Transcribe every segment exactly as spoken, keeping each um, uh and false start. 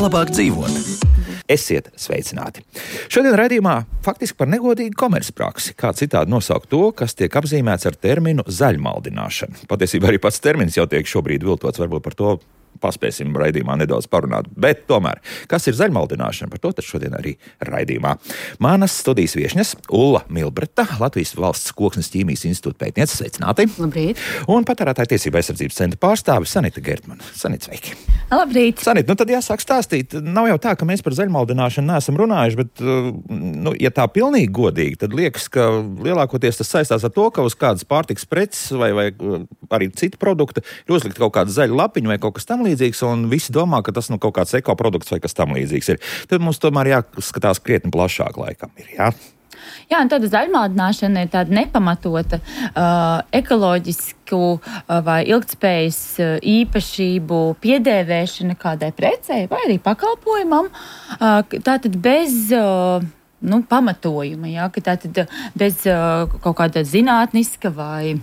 Labāk dzīvot. Esiet sveicināti. Šodien raidījumā faktiski par negodīgu komercpraksi, kā citādi nosaukt to, kas tiek apzīmēts ar terminu zaļmaldināšana. Patiesībā arī pats termins jau tiek šobrīd viltots, varbūt par to paspēsim raidījumā nedaudz parunāt. Bet tomēr, kas ir zaļmaldināšana, par to tad šodien arī raidījumā. Manas studijas viešņas Ulla Milbreta, Latvijas Valsts Koksnes ķīmijas institūta pētniece, sveicināti. Labrīt. Un patērētāju tiesību aizsardzības centra pārstāve Sanita Gertmana. Sanita, sveiki. Labrīt. Sanita, nu tad jāsāk stāstīt. Nav jau tā, ka mēs par zaļmaldināšanu neesam runājuši, bet, nu, ja tā pilnīgi godīgi, tad liekas, ka lielākoties tas saistās ar to, ka uz kādas pārtikas preces vai, vai arī citu produktu ir uzlikt kaut kāda zaļa lapiņa vai kaut kas tam līdzīgs, un visi domā, ka tas nu kaut kāds ekoprodukts vai kas tam līdzīgs ir. Tad mums tomēr jāskatās krietni plašāk laikam ir, jā? Jā, un tāda zaļmaldināšana ir tāda nepamatota uh, ekoloģisku uh, vai ilgtspējas uh, īpašību piedēvēšana kādai precei vai arī pakalpojumam. Uh, tātad bez uh, nu, pamatojuma, jā, ka tātad bez uh, kaut kāda zinātniska vai,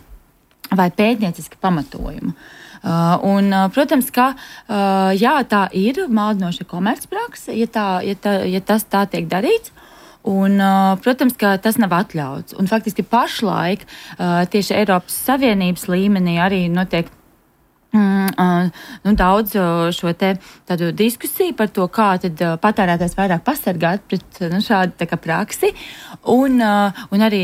vai pētnieciska pamatojuma. Uh, un, uh, protams, ka uh, jā, tā ir maldinoša komercprakse, ja, tā, ja, tā, ja tas tā tiek darīts. Un, uh, protams, ka tas nav atļauts. Un faktiski pašlaik uh, tieši Eiropas Savienības līmenī arī notiek mm, uh, nu, daudz uh, šo te tādu diskusiju par to, kā tad uh, patērētājs vairāk pasargāt pret nu, šādu tā kā praksi. Un, uh, un arī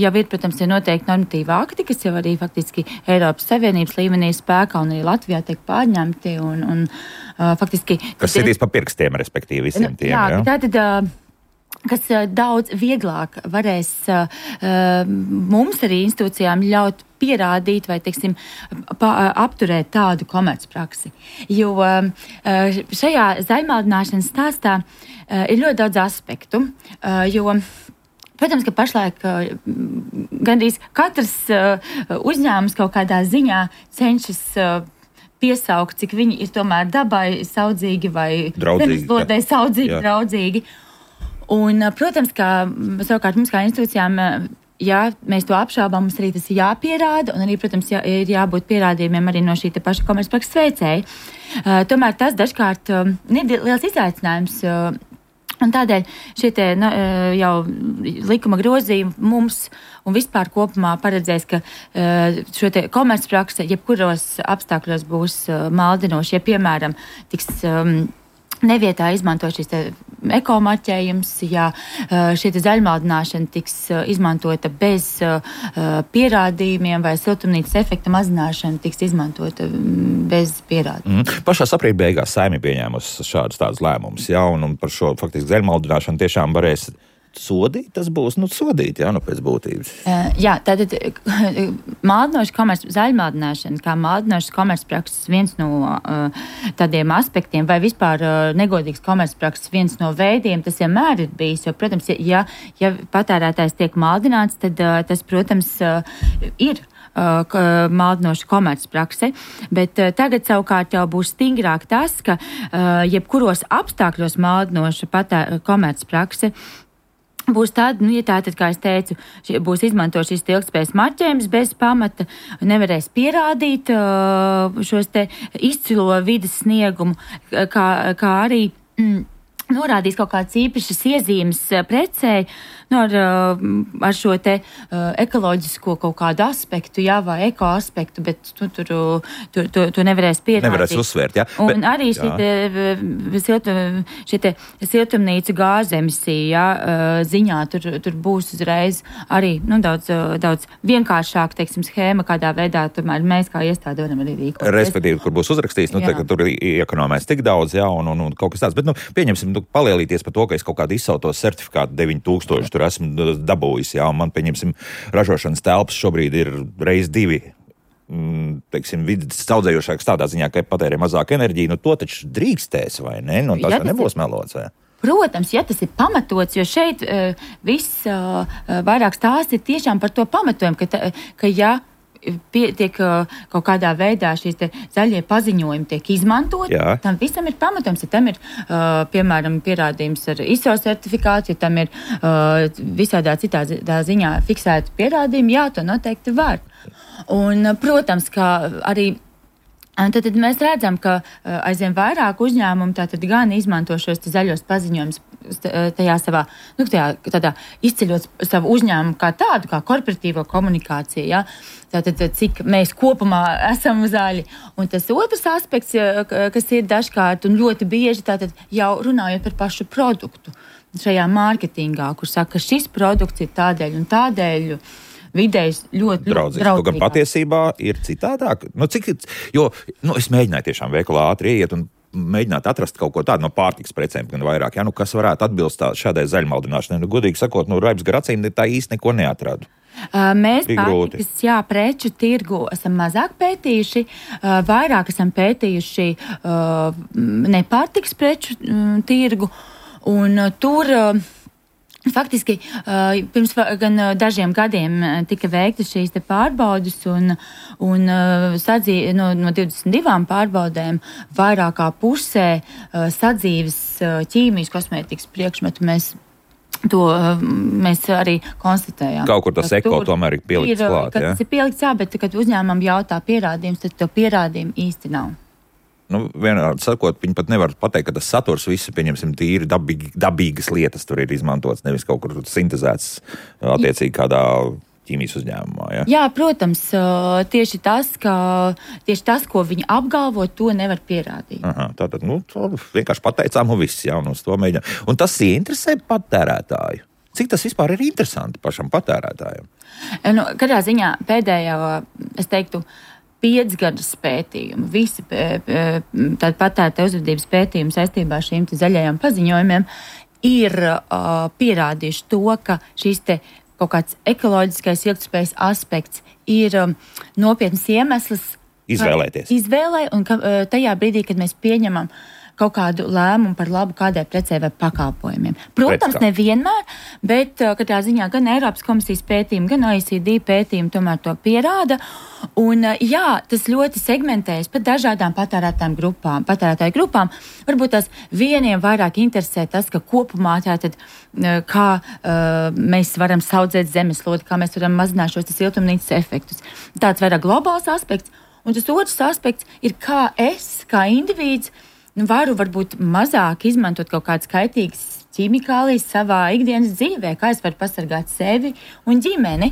jau ir, protams, ir noteikti normatīva akti, kas jau arī faktiski Eiropas Savienības līmenī spēkā un arī Latvijā tiek pārņemti. Un, un, uh, faktiski, kas sitīs pa pirkstiem, respektīvi visiem tiem. Jā, jā? tātad... Uh, kas daudz vieglāk varēs uh, mums arī institūcijām ļaut pierādīt vai, teiksim, pa, apturēt tādu komercpraksi. Jo uh, šajā zaļmaldināšanas stāstā uh, ir ļoti daudz aspektu, uh, jo protams, ka pašlaik uh, gandrīz katrs uh, uzņēmums kaut kādā ziņā cenšas uh, piesaukt, cik viņi ir tomēr dabai saudzīgi vai zemeslodei saudzīgi, jā. draudzīgi. Un, protams, ka savukārt mums kā institūcijām, ja mēs to apšaubām, mums arī tas ir jāpierāda, un arī, protams, jā, ir jābūt pierādījumiem arī no šī te paša komercprakses veicēja. Uh, tomēr tas dažkārt uh, ir liels izaicinājums, uh, un tādēļ šie te nu, uh, jau likuma grozījumi mums un vispār kopumā paredzēs, ka uh, šo te komercprakse jebkuros apstākļos būs uh, maldinoši, ja, piemēram, tiks... Um, nevietā izmanto šīs te ekomarķējums, ja šī te zaļmaldināšana tiks izmantota bez pierādījumiem vai siltumnīcas efekta mazināšana tiks izmantota bez pierādījumiem. Mm. Pašā aprīļa beigās Saeima pieņēmusi šādus tādus lēmumus, ja, un, un par šo faktiski zaļmaldināšanu tiešām varēs sodīt, tas būs, nu, sodīt, jā, nu, pēc būtības. Uh, jā, tātad maldinoša komerc, zaļmaldināšana, kā maldinošas komercprakses viens no uh, tādiem aspektiem, vai vispār uh, negodīgs komercprakses viens no veidiem, tas vienmēr ir bijis, jo, protams, ja, ja patērētājs tiek maldināts, tad uh, tas, protams, uh, ir uh, maldinoša komercprakse, bet uh, tagad savukārt jau būs stingrāk tas, ka uh, jebkuros apstākļos maldinoša patē, komercprakse būs tāda, nu, ja tā tad, kā es teicu, būs izmantot šis ilgtspējas marķējums bez pamata, nevarēs pierādīt uh, šos te izcilo vides sniegumu, kā, kā arī mm, norādīs kaut kādas īpašas iezīmes precei, nu, ar, ar šo te uh, ekoloģisko kaut kādu aspektu, jā, vai eko aspektu, bet tu, tur, tur, tur, tur nevarēs pierādīt. Nevarēs uzsvērt, jā. Un bet, arī šī te, siltum, šī te siltumnīcu gāzu emisija, jā, ziņā, tur, tur būs uzreiz arī, nu, daudz, daudz vienkāršāk, teiksim, schēma, kādā veidā tomēr mēs kā iestāde varam arī rīkoties. Respektīvi, kur būs uzrakstīts, nu, tā, ka tur iekonomēs tik daudz, jā, un, un, un kaut kas tāds, bet, nu, pieņemsim, nu, palielīties par to, ka es kaut kādu izsauto certifikātu deviņi tūkstoši tur esmu dabūjis, jā, un man, pieņemsim, ražošanas telpas šobrīd ir reiz divi, mm, teiksim, vidas saudzējošāks tādā ziņā, ka patērē mazāk enerģiju, nu to taču drīkstēs, vai ne? Nu, tas, tas nebūs melots, vai? Protams, ja tas ir pamatots, jo šeit uh, viss uh, vairāk stāsts ir tiešām par to pamatojumu, ka, ta, ka ja pie, tiek kaut kādā veidā šīs te zaļie paziņojumi tiek izmantot. Jā. Tam visam ir pamatojums, ja tam ir, uh, piemēram, pierādījums ar I S O certifikātu, ja tam ir uh, visādā citā ziņā fiksēti pierādījumi, jā, to noteikti var. Un, protams, kā arī Tad, tad mēs redzam, ka aizvien vairāk uzņēmumu tātad gan izmanto šos zaļos paziņojumus tajā savā, nu, tajā, tādā izceļot savu uzņēmumu kā tādu, kā korporatīvo komunikāciju, ja? Tātad, cik mēs kopumā esam zaļi. Un tas otrs aspekts, kas ir dažkārt un ļoti bieži, tātad jau runājot par pašu produktu šajā mārketingā, kur saka, ka šis produkts ir tādēļ un tādēļ, vidējs ļoti draudzīgs. Kaut gan patiesībā ir citādāk. Nu, cik, jo, nu, es mēģināju tiešām veikalā ātri iet un mēģināt atrast kaut ko tādu no pārtikas precēm, gan vairāk, ja, nu, kas varētu atbilst tā, šādai zaļmaldināšanai. Nu, godīgi sakot, nu, Raips gar acīm tā īsti neko neatradu. Uh, mēs pārtikas, jā, preču tirgu esam mazāk pētījuši, uh, vairāk esam pētījuši uh, nepārtikas preču um, tirgu, un uh, tur... Uh, Faktiski pirms gan dažiem gadiem tika veiktas šīs te pārbaudes un, un sadzīve, no, no divdesmit divām pārbaudēm vairāk kā pusē sadzīves ķīmijas kosmētikas priekšmetu mēs to mēs arī konstatējām. Kaut kur tas eko tomēr ir pielikts ir, klāt, ja? Tas ir pielikts, jā, bet kad uzņēmumam jautā pierādījums, tad to pierādījumu īsti nav. Nu, vienādi sakot, viņi pat nevar pateikt, ka tas saturs visi, pieņemsim, tīri dabīgi, dabīgas lietas tur ir izmantots, nevis kaut kur sintezēts attiecīgi kādā ķīmijas uzņēmumā. Ja? Jā, protams, tieši tas, ka, tieši tas, ko viņi apgalvo, to nevar pierādīt. Aha, tātad, nu, to vienkārši pateicām un viss, jā, un uz to mēģinām. Un tas ieinteresē patērētāju. Cik tas vispār ir interesanti pašam patērētājam? Nu, kādā ziņā pēdējā, es teiktu, piecgadus pētījumu, visi tādi patērētāju uzvedības pētījumi saistībā ar šīm zaļajām paziņojumiem ir uh, pierādījuši to, ka šīs te kaut kāds ekoloģiskais ilgtspējas aspekts ir um, nopietns iemesls izvēlēties. Izvēlē, un ka, uh, tajā brīdī, kad mēs pieņemam kaut kādu lēmumu par labu kādai precei vai pakalpojumiem. Protams, nevienmēr, bet uh, katrā ziņā gan Eiropas komisijas pētījumi, gan O E C D pētījumi tomēr to pierāda. Un, uh, jā, tas ļoti segmentējas par dažādām patērētājiem grupām, patērētāju grupām. Varbūt tās vieniem vairāk interesē tas, ka kopumā tātad, uh, kā uh, mēs varam saudzēt zemeslodi, kā mēs varam mazināt šos siltumnīcas efektus. Tāds vairāk globāls aspekts. Un tas otrs aspekts ir, kā es, kā indivīds, nu, varu varbūt mazāk izmantot kaut kādas kaitīgas ķīmikālijas savā ikdienas dzīvē, kā es varu pasargāt sevi un ģimeni.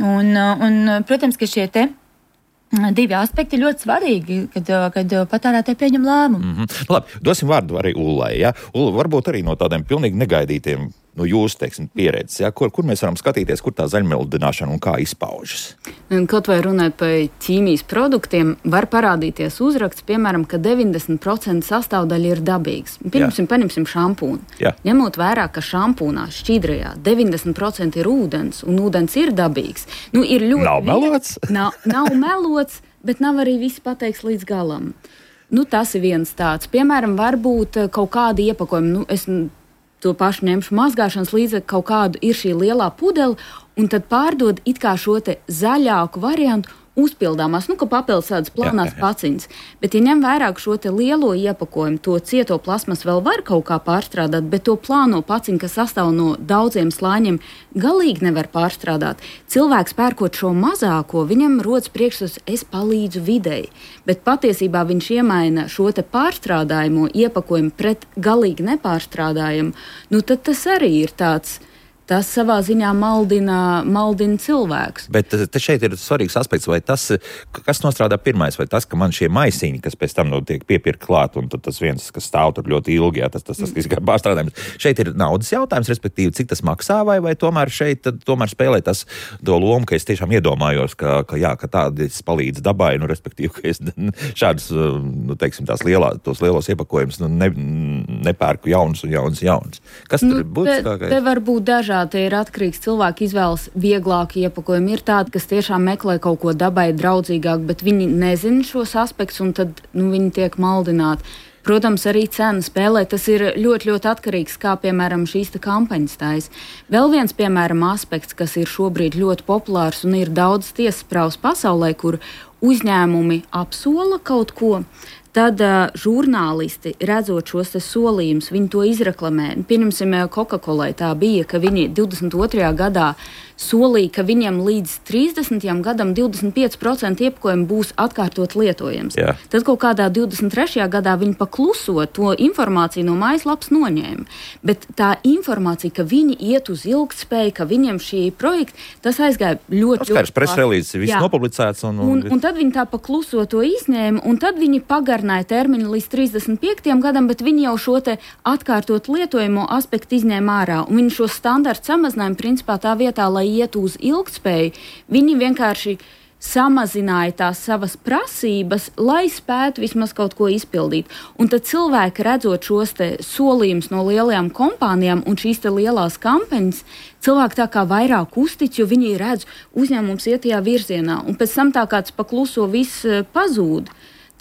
Un, un protams, ka šie te divi aspekti ir ļoti svarīgi, kad, kad patērētāji pieņem lēmumu. Mm-hmm. Labi, dosim vārdu arī Ullai. Ja? Ulla, varbūt arī no tādiem pilnīgi negaidītiem, nu, jūsu, teiksim, pieredzes, ja? kur, kur mēs varam skatīties, kur tā zaļmaldināšana un kā izpaužas? Kaut vai runāt par ķīmijas produktiem, var parādīties uzraksts, piemēram, ka deviņdesmit procenti sastāvdaļa ir dabīgs. Pirmsim, paņemsim šampūnu. Jā. Ņemot vērā, ka šampūnā šķidrajā deviņdesmit procenti ir ūdens, un ūdens ir dabīgs. Nu, ir ļoti nav melots? Nav, nav melots, bet nav arī viss pateikts līdz galam. Nu, tas ir viens tāds. Piemēram, varbūt kaut kādi iepakojumi. Nu, es to pašu ņemšu mazgāšanas līdzekļu, kaut kādu ir šī lielā pudele, un tad pārdod it kā šo te zaļāku variantu uzpildāmās, nu, ka papildus tādas plānās paciņas. Bet, ja ņem vērā šo te lielo iepakojumu, to cieto plasmas vēl var kaut kā pārstrādāt, bet to plāno paciņu, kas sastāv no daudziem slāņiem, galīgi nevar pārstrādāt. Cilvēks pērkot šo mazāko, viņam rodas priekšstats, es palīdzu videi, bet patiesībā viņš iemaina šo te pārstrādājumu iepakojumu pret galīgi nepārstrādājumu, nu tad tas arī ir tāds. Tas savā ziņā maldina, maldina cilvēkus. Bet te šeit ir svarīgs aspekts, vai tas, kas nostrādā pirmais, vai tas, ka man šie maisiņi, kas pēc tam no tiek piepirkt klāt, un tad tas viens, kas stāv tur ļoti ilgi, jā, tas, tas, tas, tas kā pārstrādājums. Šeit ir naudas jautājums, respektīvi, cik tas maksā, vai, vai tomēr šeit tomēr spēlē tas to lomu, ka es tiešām iedomājos, ka, ka jā, ka tādas palīdz dabai, nu, respektīvi, ka es šādus, nu, teiksim, tās lielā, tos lielos iepakojumus, nu, ne, nepērku jauns un jauns jauns. Kas tur nu, būtu? Te, te var būt dažādi. Te ir atkarīgs cilvēku izvēles vieglāku iepakojumu. Ir tādi, kas tiešām meklē kaut ko dabai draudzīgāku, bet viņi nezina šos aspektus, un tad nu, viņi tiek maldināti. Protams, arī cena spēlē. Tas ir ļoti, ļoti atkarīgs, kā, piemēram, šīs kampaņas taisa. Vēl viens, piemēram, aspekts, kas ir šobrīd ļoti populārs un ir daudz tiesasprāvas pasaulē, kur uzņēmumi apsola kaut ko. Tad uh, žurnālisti, redzot šos solījumus, viņi to izreklamē. Pieņemsim, Coca-Colai tā bija, ka viņi divdesmit otrajā gadā solīja, ka viņiem līdz trīsdesmitajam gadam divdesmit pieci procenti iepakojumu būs atkārtot lietojams. Jā. Tad kaut kādā divdesmit trešajā gadā viņi pakluso to informāciju no mājaslapas noņēma. Bet tā informācija, ka viņi iet uz ilgtspēju, ka viņiem šī projekta, tas aizgāja ļoti, ļoti plaši. Presrelīzes ir viss nopublicēts. Un, un... Un, un tad viņi tā pakluso to izņēma, un tad viņi pagarināja termiņu līdz trīsdesmit piektajam gadam, bet viņi jau šo te atkārtot lietojamo aspektu izņēma ārā. Un viņi šo standartu samazinājumu principā tā vietā, lai iet uz ilgtspēju, viņi vienkārši samazināja tās savas prasības, lai spētu vismaz kaut ko izpildīt. Un tad cilvēki, redzot šos te solījumus no lielajām kompānijām un šīs te lielās kampaņas, cilvēki tā kā vairāk uztic, jo viņi redz, uzņēmums iet tajā virzienā. Un pēc tam tā kāds pakluso viss pazūd.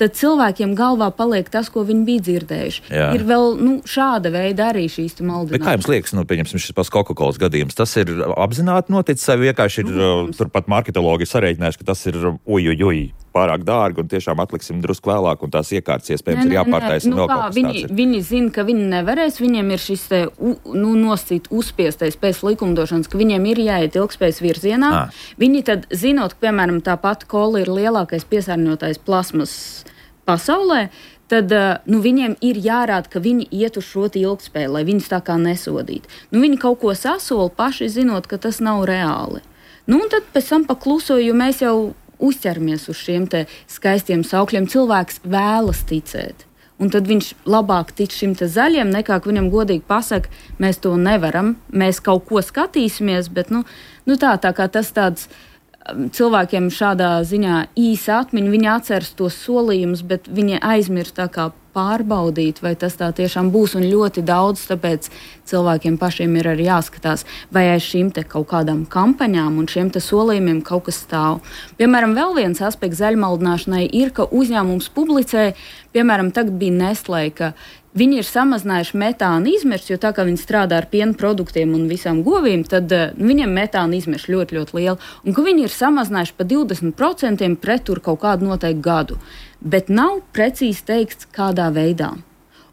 Tad cilvēkiem galvā paliek tas, ko viņi bija dzirdējuši. Jā. Ir vēl nu, šāda veida arī šīs maldināšanas. Bet kā jums liekas, nu, pieņemsim šis pats Coca-Colas gadījums, tas ir apzināti noticis, vai vienkārši ir, mm. turpat marketologi sarēķinājuši, ka tas ir uj, uj, uj, pārāk dārgi un tiešām atliksim drusku vēlāk un tās iekārtas iespējams ir jāpārtaisa. Nu, kā, viņi, viņi zina, ka viņi nevarēs, viņiem ir šis te, nu, nosacīt uzspiestais pēc likumdošanas, ka viņiem ir jāiet ilgspējas virzienā. Ah. Viņi tad, zinot, ka, piemēram, tā pati kola ir lielākais piesārņotājs plasmas pasaulē, tad nu, viņiem ir jārāda, ka viņi iet uz šo ilgtspēju, lai viņus tā kā nesodītu. Nu, viņi kaut ko sasola paši zinot, ka tas nav reāli. Nu, un tad pēc tam pakluso, jo mēs jau uzķeramies uz šiem te skaistiem saukļiem. Cilvēks vēlas ticēt. Un tad viņš labāk tic šim te zaļiem, nekā ka viņam godīgi pasaka, mēs to nevaram, mēs kaut ko skatīsimies, bet nu, nu tā, tā kā tas tāds cilvēkiem šādā ziņā īsa atmiņa, viņi atceras tos solījumus, bet viņi aizmirst tā kā pārbaudīt, vai tas tā tiešām būs, un ļoti daudz, tāpēc cilvēkiem pašiem ir arī jāskatās, vai aiz šīm te kaut kādām kampaņām un šiem te solījumiem kaut kas stāv. Piemēram, vēl viens aspekts zaļmaldināšanai ir, ka uzņēmums publicē, piemēram, tagad bija Nestlé, ka viņi ir samazinājuši metāna izmešus, jo tā kā viņi strādā ar piena produktiem un visām govīm, tad uh, viņiem metāna izmeši ļoti, ļoti liela. Un ka viņi ir samazinājuši pa divdesmit procentiem pret tur kaut kādu noteiktu gadu. Bet nav precīzi teikts, kādā veidā.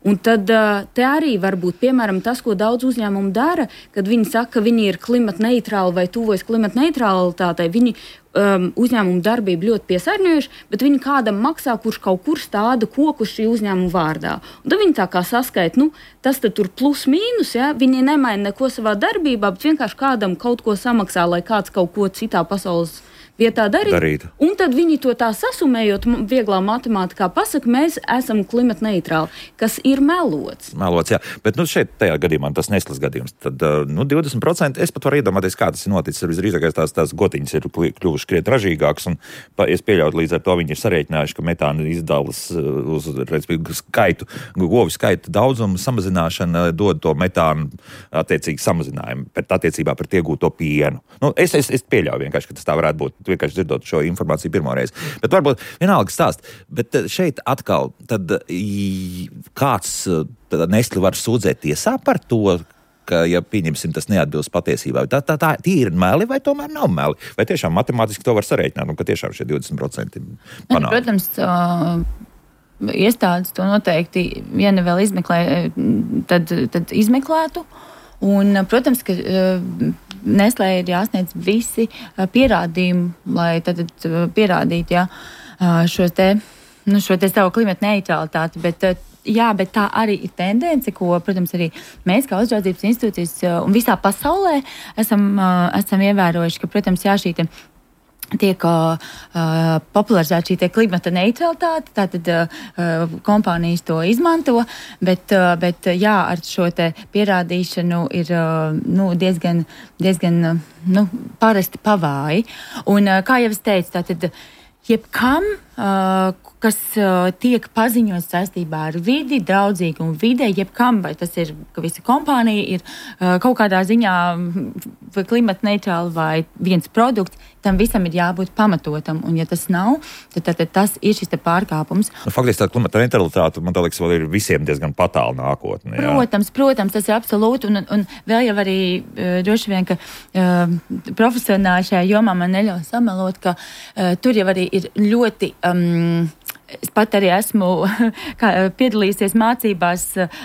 Un tad uh, te arī var būt, piemēram, tas, ko daudz uzņēmumu dara, kad viņi saka, ka viņi ir klimatneitrāli vai tuvojas klimatneitralitātei. Viņi um, uzņēmumu darbību ļoti piesārņojuši, bet viņi kādam maksā, kurš kaut kur stāda koku šī uzņēmuma vārdā. Un tad viņi tā kā saskaita, nu, tas tad tur plus mīnus, ja? Viņi nemaina neko savā darbībā, bet vienkārši kādam kaut ko samaksā, lai kāds kaut ko citā pasaules vietā darīt. darīt. Un tad viņi to tā sasumējot, vieglā matemātikā pasaka, mēs esam klimatneitrāli, kas ir melots. Melots, jā. Bet nu, šeit tajā gadījumā tas Nestlés gadījums. Tad nu, divdesmit procenti es pat varu iedomāties, kā tas ir noticis. Visdrīzākais tās, tās gotiņas ir kļuvušas krietni ražīgākas, un es pieļautu līdz ar to viņi ir sarēķinājuši, ka metāna izdalas uz skaitu, govi skaitu daudzumu samazināšana dod to metānu attiecīgi samazinājumu, bet attiecībā pret iegūto pienu. Nu, es, es, es pieļauju vienkārši, ka tas tā varētu būt. Vienkārši dzirdot šo informāciju pirmoreiz. Bet varbūt vienalga stāst. Bet šeit atkal, tad kāds Nestlé var sūdzēt tiesā par to, ka, ja pieņemsim, tas neatbilst patiesībā. Tā, tā, tā tīri meli vai tomēr nav meli? Vai tiešām matemātiski to var sarēķināt, un ka tiešām šie divdesmit procenti panāk? Protams, uh... iestādes to noteikti, ja ne vēl izmeklē, tad, tad izmeklētu. Un, protams, ka uh, Nestlé ir jāsniedz visi uh, pierādījumi, lai tad uh, pierādītu ja, uh, šo te, nu, šo te savu klimata neutralitāti, bet uh, jā, bet tā arī ir tendence, ko, protams, arī mēs kā uzraudzības institūcijas uh, un visā pasaulē esam, uh, esam ievērojuši, ka, protams, jā, šī te tiek uh, popularizēta šī klimata neutralitāte, tātad uh, kompānijas to izmanto, bet, uh, bet jā, ar šo te pierādīšanu ir uh, nu, diezgan, diezgan uh, nu, parasti pavāji. Un uh, kā jau es teicu, tātad jebkam, uh, kas uh, tiek paziņots saistībā ar vidi, draudzīgu un vidē, jebkam, vai tas ir, ka visa kompānija ir uh, kaut kādā ziņā vai klimata neitrāli vai viens produkts, tam visam ir jābūt pamatotam, un ja tas nav, tad, tad, tad tas ir šis te pārkāpums. Nu, faktiski tā klimata neutralitāte, man tā liekas, vēl ir visiem diezgan patāla nākotne. Jā. Protams, protams, tas ir absolūti, un, un vēl jau arī uh, droši vien, ka uh, profesionāli šajā jomā man neļauj samelot, ka uh, tur jau arī ir ļoti... Um, Es pat arī esmu piedalījusies mācībās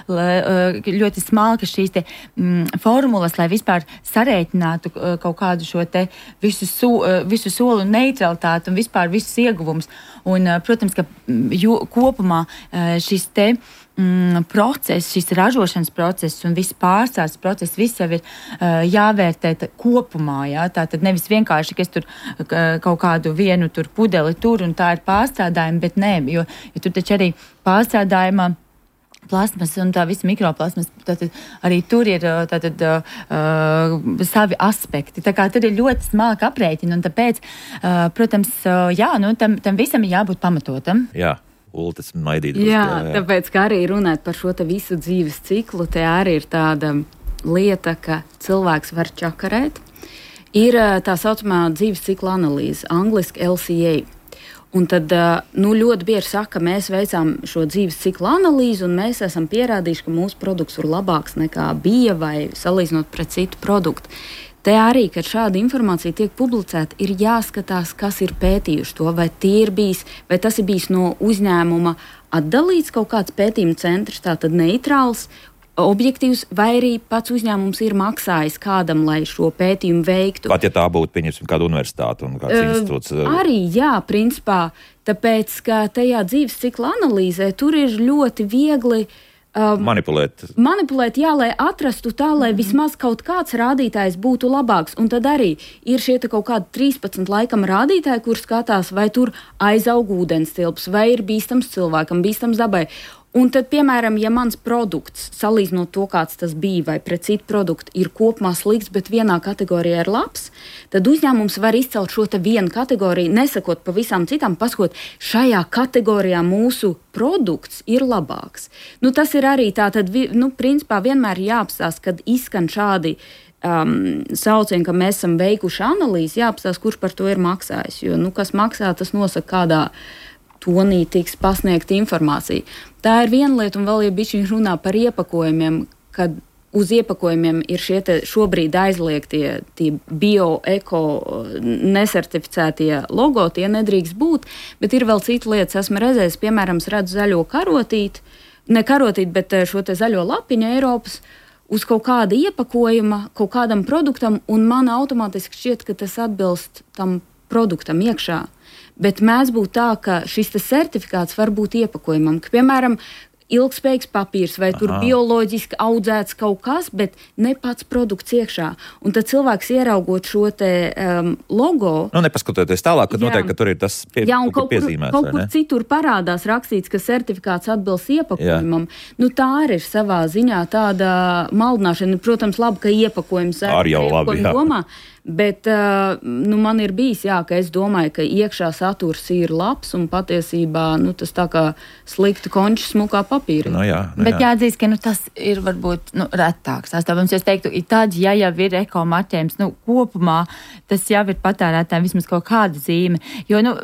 ļoti smalki šīs te mm, formulas, lai vispār sarēķinātu kaut kādu šo te visu, so, visu soli un neutralitāti un vispār visus ieguvumus. Un, protams, ka jo, kopumā šis te mm, process, šis ražošanas process un viss pārstāsts process, viss jau ir uh, jāvērtē tā, kopumā, jā, tā tad nevis vienkārši, ka es tur uh, kaut kādu vienu tur pudeli tur un tā ir pārstrādājumi, bet nē, jo, jo tur taču arī pārstrādājumā plasmas un tā visa mikroplasmas, tātad arī tur ir tātad, uh, savi aspekti. Tā kā tur ir ļoti smalki aprēķini, un tāpēc, uh, protams, uh, jā, nu, tam, tam visam ir jābūt pamatotam. Jā. Ultas maidīt. Jā, jā, jā, tāpēc, kā arī runāt par šo te visu dzīves ciklu, te arī ir tāda lieta, ka cilvēks var čakarēt. Ir tā saucamā dzīves cikla analīze, angliski L C A. Un tad, nu, ļoti bieži saka, ka mēs veicām šo dzīves cikla analīzi un mēs esam pierādījuši, ka mūsu produkts ir labāks nekā bija vai salīdzinot pret citu produktu. Te arī, kad šāda informācija tiek publicēta, ir jāskatās, kas ir pētījuši to, vai tie ir bijis, vai tas ir bijis no uzņēmuma atdalīts kaut kāds pētījuma centrs, tātad neitrāls, objektīvs, vai arī pats uzņēmums ir maksājis kādam, lai šo pētījumu veiktu. Pat ja tā būtu, pieņemsim, kāda universitāte un kāds uh, institūts. Arī, jā, principā, tāpēc, ka tajā dzīves cikla analīzē tur ir ļoti viegli Um, manipulēt. Manipulēt, jā, lai atrastu tā, lai mm-hmm. vismaz kaut kāds rādītājs būtu labāks. Un tad arī ir šie kaut kādi trīspadsmit laikam rādītāji, kur skatās, vai tur aizaug ūdens tilps, vai ir bīstams cilvēkam, bīstams dabai. Un tad, piemēram, ja mans produkts, salīdzinot to, kāds tas bija, vai pret citu produktu, ir kopumā slikts, bet vienā kategorijā ir labs, tad uzņēmums var izcelt šo te vienu kategoriju, nesakot pa visām citām, pasakot, šajā kategorijā mūsu produkts ir labāks. Nu, tas ir arī tā, tad, nu, principā vienmēr jāapstās, kad izskan šādi um, saucieni, ka mēs esam veikuši analīzi, jāapstās, kurš par to ir maksājis. Jo, nu, kas maksā, tas nosaka kādā tonī tiks pasniegta informācija. Tā ir viena lieta, un vēl ja bišķiņ runā par iepakojumiem, kad uz iepakojumiem ir šie te šobrīd aizliegtie tie bio, eko, nesertificētie logo, tie nedrīkst būt, bet ir vēl cita lietas. Esmu redzējis, piemēram, es redzu zaļo karotīti, ne karotīti, bet šo te zaļo lapiņu Eiropas, uz kaut kāda iepakojuma, kaut kādam produktam, un man automātiski šķiet, ka tas atbilst tam produktam iekšā. Bet mēdz būt tā, ka šis certifikāts var būt iepakojumam, ka, piemēram, ilgspējīgs papīrs vai tur Aha. bioloģiski audzēts kaut kas, bet ne pats produkts iekšā. Un tad cilvēks ieraugot šo te um, logo... Nu, nepaskatoties tālāk, kad jā. Noteikti, ka tur ir tas pie, jā, un kaut kur, piezīmēts, kaut kur citur parādās rakstīts, ka certifikāts atbilst iepakojumam. Jā. Nu, tā arī ir savā ziņā tāda maldināšana. Protams, labi, ka iepakojums ar jau labi, jā. Domā, bet uh, nu, man ir bijis, jā, ka es domāju, ka iekšā saturs ir labs un patiesībā nu, tas tā kā slikti končs smukā papīra. Nu, jā, nu, bet jāatzīst, ka nu, tas ir varbūt nu, retāks. Tāpēc es teiktu, tad, ja jau ir eko marķējums, nu, kopumā tas jau ir patērētājiem vismaz kaut kāda zīme. Jo nu,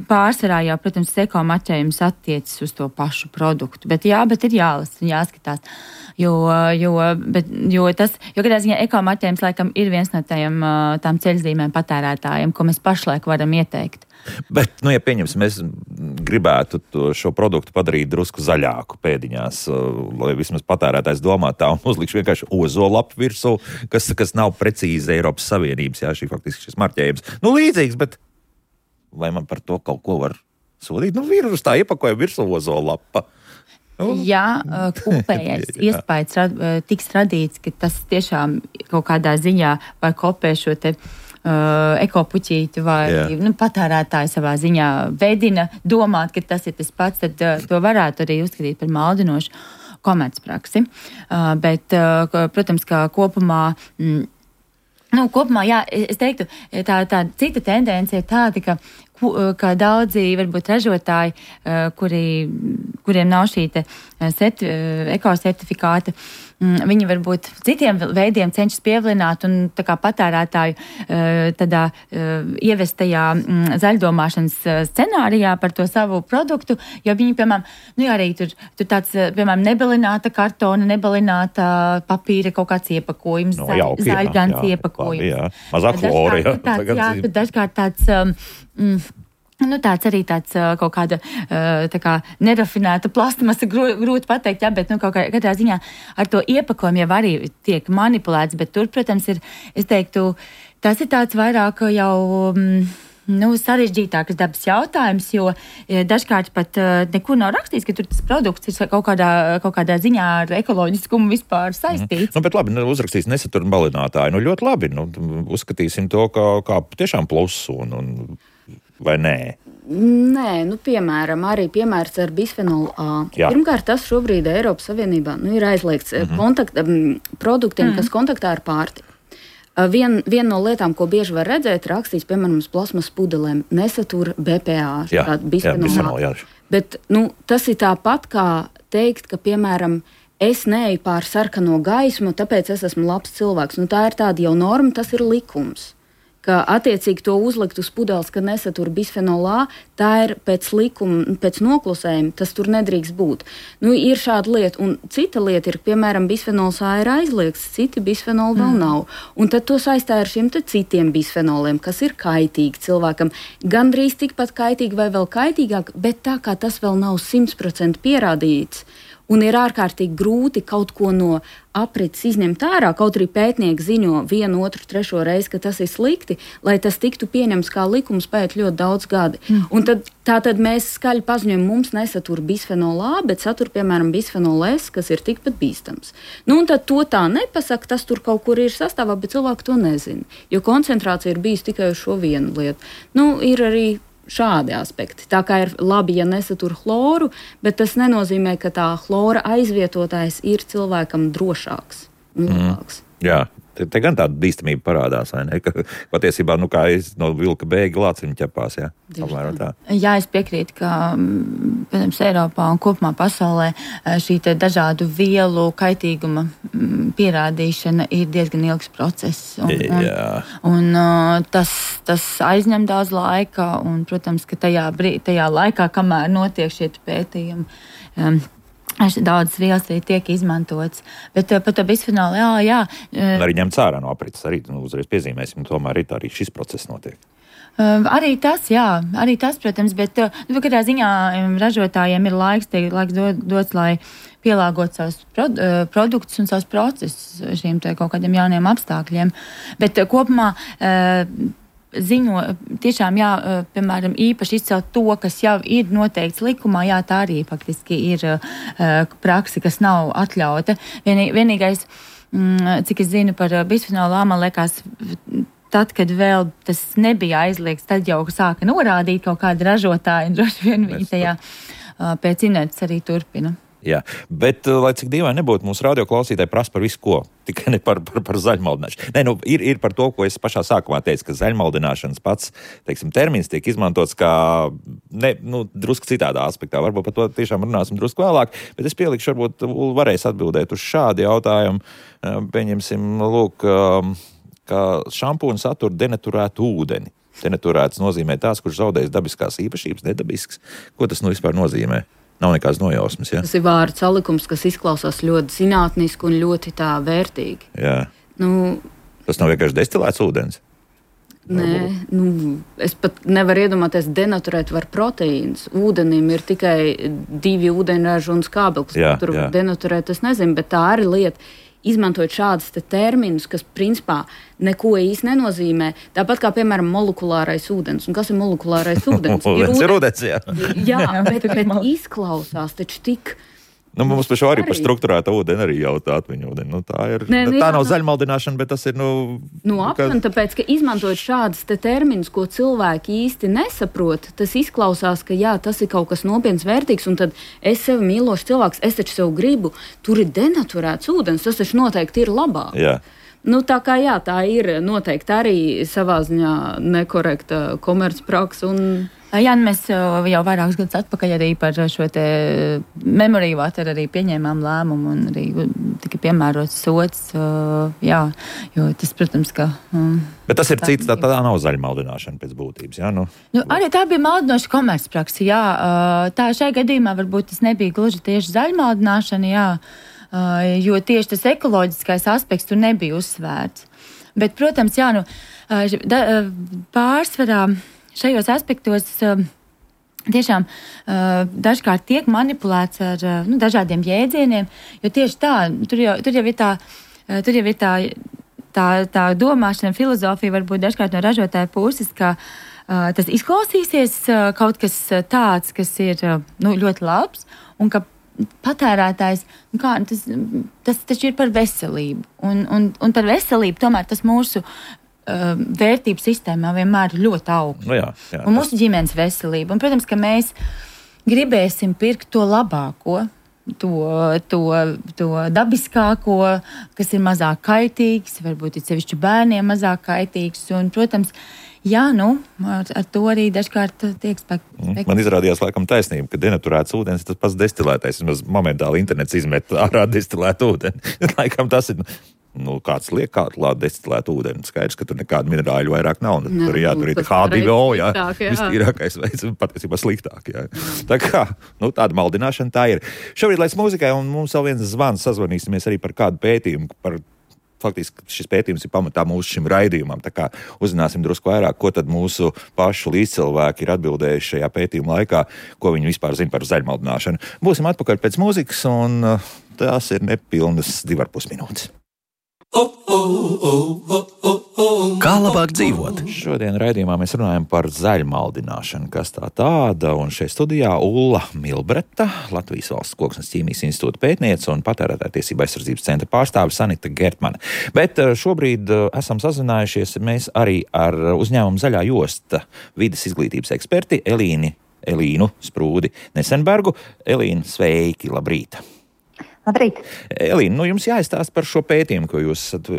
pārsvarā jau, protams, eko marķējums attiecas uz to pašu produktu. Bet jā, bet ir jālasa un jāskatās. Jo, jo, bet, jo tas, jo kādā ziņā eko marķējums laikam ir viens no tajiem, tām ceļzīmēm patērētājiem, ko mēs pašlaik varam ieteikt. Bet, nu, ja pieņemsim, mēs gribētu to, šo produktu padarīt drusku zaļāku pēdiņās, lai vismaz patērētājs domā tā un uzlikšu vienkārši ozolapu virsū, kas, kas nav precīzi Eiropas Savienības, jā, šī faktiski šis marķējums. Nu, līdzīgs, bet vai man par to kaut ko var sodīt? Nu, ir uz tā iepakojuma virsū ozolapa. Nu. Jā, kopējais iespējas rad, tiks radīts, ka tas tiešām kaut kādā ziņā var kopēt šo te uh, ekopuķīti vai yeah. nu, patērētāji savā ziņā veidina domāt, ka tas ir tas pats, tad uh, to varētu arī uzskatīt par maldinošu komercpraksi. Uh, bet, uh, protams, kā kopumā... Mm, Nu, kopumā, jā, es teiktu, tā, tā cita tendence ir tāda, ka kā daudzi varbūt ražotāji, kuri, kuriem nav šī te certi, ekosertifikāta, viņi varbūt citiem veidiem cenšas pievilināt un tā kā patērētāju tādā ievestajā zaļdomāšanas scenārijā par to savu produktu, jo viņi, piemēram, nu jā, arī tur, tur tāds, piemēram, nebalināta kartona, nebalināta papīra kaut kāds iepakojums, no, zaļ, jauki, zaļgans jā, jā, iepakojums. Jā, mazāk flora, jā. Tāds, jā, tad dažkārt tāds... Um, Nu, tāds arī tāds kaut kāda tā kā nerafinēta plasmasa, grūti pateikt, jā, bet nu, kaut kā, katrā ziņā ar to iepakojumu jau arī tiek manipulēts, bet tur, protams, ir, es teiktu, tas ir tāds vairāk jau, nu, sarežģītākas dabas jautājums, jo dažkārt pat nekur nav rakstīts, ka tur tas produkts ir kaut kādā, kaut kādā ziņā ar ekoloģiskumu vispār saistīts. Mm. Nu, bet labi, uzrakstīs nesatur balinātāju, nu, ļoti labi, nu, uzskatīsim to kā, kā tiešām plusu un, un vai nē? Nē, nu, piemēram, arī piemērs ar bisfenolu A. Jā. Pirmkārt, tas šobrīd Eiropas Savienībā nu, ir aizliegts mm-hmm. kontakt, um, produktiem, mm-hmm. kas kontaktā ar pārtiku. Uh, vien, viena no lietām, ko bieži var redzēt, rakstīts, piemēram, uz plasmas pudelēm, nesatur B P A, jā, bisfenolu jā, bisfenolu, jā. Bet nu, tas ir tāpat kā teikt, ka, piemēram, es neeju pār sarkano gaismu, tāpēc es esmu labs cilvēks. Nu, tā ir tāda jau norma, tas ir likums. Ka attiecīgi to uzlikt uz pudeles, ka nesatur bisfenolu A, tā ir pēc likuma, pēc noklusējuma, tas tur nedrīkst būt. Nu, ir šāda lieta, un cita lieta ir, piemēram, bisfenols A ir aizliegts, citi bisfenoli vēl mm. nav. Un tad to saistāja ar šiem te citiem bisfenoliem, kas ir kaitīgi cilvēkam. Gandrīz tikpat kaitīgi vai vēl kaitīgāk, bet tā kā tas vēl nav simt procenti pierādīts, un ir ārkārtīgi grūti kaut ko no aprits izņemt ārā, kaut arī pētnieki ziņo vienu, otru, trešo reizi, ka tas ir slikti, lai tas tiktu pieņemts kā likums pēc ļoti daudz gadi. Mm. Un tad, tā tad mēs skaļi paziņojam, mums nesatur bisfenolu A, bet satur, piemēram, bisfenolu S, kas ir tikpat bīstams. Nu, un tad to tā nepasaka, tas tur kaut kur ir sastāvā, bet cilvēki to nezina, jo koncentrācija ir bijusi tikai uz šo vienu lietu. Nu, ir arī šādi aspekti. Tā kā ir labi, ja nesatur chloru, bet tas nenozīmē, ka tā chlora aizvietotājs ir cilvēkam drošāks un labāks. Mm, jā, te, te gan tāda bīstamība parādās, vai ne? Ka patiesībā, nu kā es no vilka bēgi lāciņu ķepās, jā? Tā. Jā, es piekrītu, ka, protams, Eiropā un kopumā pasaulē šī te dažādu vielu kaitīguma pierādīšana ir diezgan ilgs process. Un, un, un tas, tas aizņem daudz laika, un, protams, ka tajā, brī, tajā laikā, kamēr notiek šie pētījumi, um, daudzas vielas arī tiek izmantotas. Bet par to bisfenolu, jā, jā. Un arī ņemts ārā no aprits, arī nu, uzreiz piezīmēsim, tomēr arī, tā, arī šis process notiek. Uh, arī tas, jā, arī tas, protams, bet nu, katrā ziņā ražotājiem ir laiks, tie, laiks dod, dots, lai pielāgot savus prod, uh, produktus un savus procesus šiem te kaut kādiem jauniem apstākļiem. Bet uh, kopumā uh, ziņo, tiešām, jā, uh, piemēram, īpaši izcelt to, kas jau ir noteikts likumā, jā, tā arī faktiski ir uh, praksa, kas nav atļauta. Vienī, vienīgais, mm, cik es zinu par uh, bisfenolu A, man liekas, tad, kad vēl tas nebija aizliegts, tad jau sāka norādīt kaut kādi ražotāji, un droši vien viņi tajā uh, pēc inerces arī turpina. Jā, bet, lai cik dīvaini nebūtu, mūsu radioklausītāji prasa par visu ko, tikai ne par, par, par zaļmaldināšanu. Nē, nu, ir, ir par to, ko es pašā sākumā teicu, ka zaļmaldināšanas pats, teiksim, termins tiek izmantots kā, ne, nu, drusku citādā aspektā. Varbūt par to tiešām runāsim drusku vēlāk, bet es pielikšu, varbūt varēs atbildēt uz šādu jautājumu. Pieņemsim, lūk, ka šampūna satur denaturētu ūdeni. Denaturēts nozīmē tās, kurš zaudējis dabiskās īpašības, nedabisks. Ko tas nu vispār nozīmē? Nav nekādas nojausmas, ja? Tas ir vārdu salikums, kas izklausās ļoti zinātniski un ļoti tā vērtīgi. Jā. Nu, tas nav vienkārši destilēts ūdens? Nē, nu, es pat nevaru iedomāties, denaturēt var proteīnus. Ūdenim ir tikai divi ūdeņraži un skābeklis. Jā, tur jā. var denaturēt, es nezinu, bet tā arī lieta. Izmantojot šādus te terminus, kas principā neko īsti nenozīmē. Tāpat kā, piemēram, molekulārais ūdens. Un kas ir molekulārais ūdens? ūdens ir ūdens, jā. Jā, bet, bet izklausās taču tik... Nu, mums par šo arī par strukturēta ūdeni arī jautā atmiņu ūdeni. Nu, tā ir, Nē, tā jā, nav zaļmaldināšana, bet tas ir, nu... Nu, apmēram, ka... tāpēc, ka izmantojot šādas te terminus, ko cilvēki īsti nesaprot, tas izklausās, ka jā, tas ir kaut kas nopietns, vērtīgs, un tad es sevi mīlošs cilvēks, es taču sev gribu, tur ir denaturēts ūdens, tas taču noteikti ir labāk. Jā. Nu, tā kā jā, tā ir noteikti arī savā ziņā nekorekta komercpraksa un Jā, mēs jau vairākus gadus atpakaļ arī par šo te memory water arī pieņēmām lēmumu un arī tika piemērots sots, jā, jo tas, protams, ka... Um, Bet tas ir tā, cits, tā, tā nav zaļa maldināšana pēc būtības, jā? Nu, nu, arī tā bija maldinoša komercpraksa, jā. Tā šai gadījumā varbūt tas nebija gluži tieši zaļa maldināšana, jā, jo tieši tas ekoloģiskais aspekts tur nebija uzsvērts. Bet, protams, jā, nu, da, pārsvarā šajos aspektos tiešām dažkārt tiek manipulēts ar nu, dažādiem jēdzieniem, jo tieši tā, tur jau, tur jau ir tā, tur jau ir tā, tā, tā domāšana, filozofija varbūt dažkārt no ražotāja puses, ka uh, tas izklausīsies uh, kaut kas tāds, kas ir uh, nu, ļoti labs, un ka patērētājs, nu kā, tas, tas taču ir par veselību, un, un, un par veselību tomēr tas mūsu Uh, vērtību sistēmā vienmēr ir ļoti augsts. Nu jā, jā, un mūsu ģimenes veselība. Un, protams, ka mēs gribēsim pirkt to labāko, to, to, to dabiskāko, kas ir mazāk kaitīgs, varbūt ir sevišķi bērniem mazāk kaitīgs. Un, protams, jā, nu, ar, ar to arī dažkārt tiek spēk. Man izrādījās laikam taisnība, ka denaturēts ūdens tas pats destilētais. Vismaz momentāli internets izmet ārā destilētu ūdeni. Laikam tas ir... Nu, kāds liek kādu klāt destilētu ūdeni. Skaidrs, ka tur nekādu minerāļu vairāk nav. Nu, tur, jā, tur ir H divi O, jā. Vistīrākais veids, patiesībā sliktāk, jā. Tā kā, nu, tāda maldināšana tā ir. Šobrīd laiks mūzikai, un mums vēl viens zvans, sazvanīsimies arī par kādu pētījumu, par faktiski šis pētījums ir pamatā mūsu šim raidījumam. Tā kā uzzināsim drusku vairāk, ko tad mūsu pašu līdzcilvēki ir atbildējuši šajā pētījuma laikā, ko viņi vispār zina par zaļmaldināšanu. Būsim atpakaļ pēc mūzikas, un tās ir nepilnas divarpus minūtes. Kā labāk dzīvot? Šodien raidījumā mēs runājam par zaļmaldināšanu, kas tā tāda, un šeit studijā Ulla Milbreta, Latvijas Valsts Koksnes ķīmijas institūta pētniece un patērētāju tiesību aizsardzības centra pārstāve Sanita Gertmane. Bet šobrīd esam sazinājušies mēs arī ar uzņēmumu Zaļā josta vides izglītības eksperti Elīni, Elīnu Sprūdi Nesenbergu. Elīna, sveiki, labrīt! Labrīt. Elīna, nu jums jāizstāst par šo pētījumu, ko jūs esat,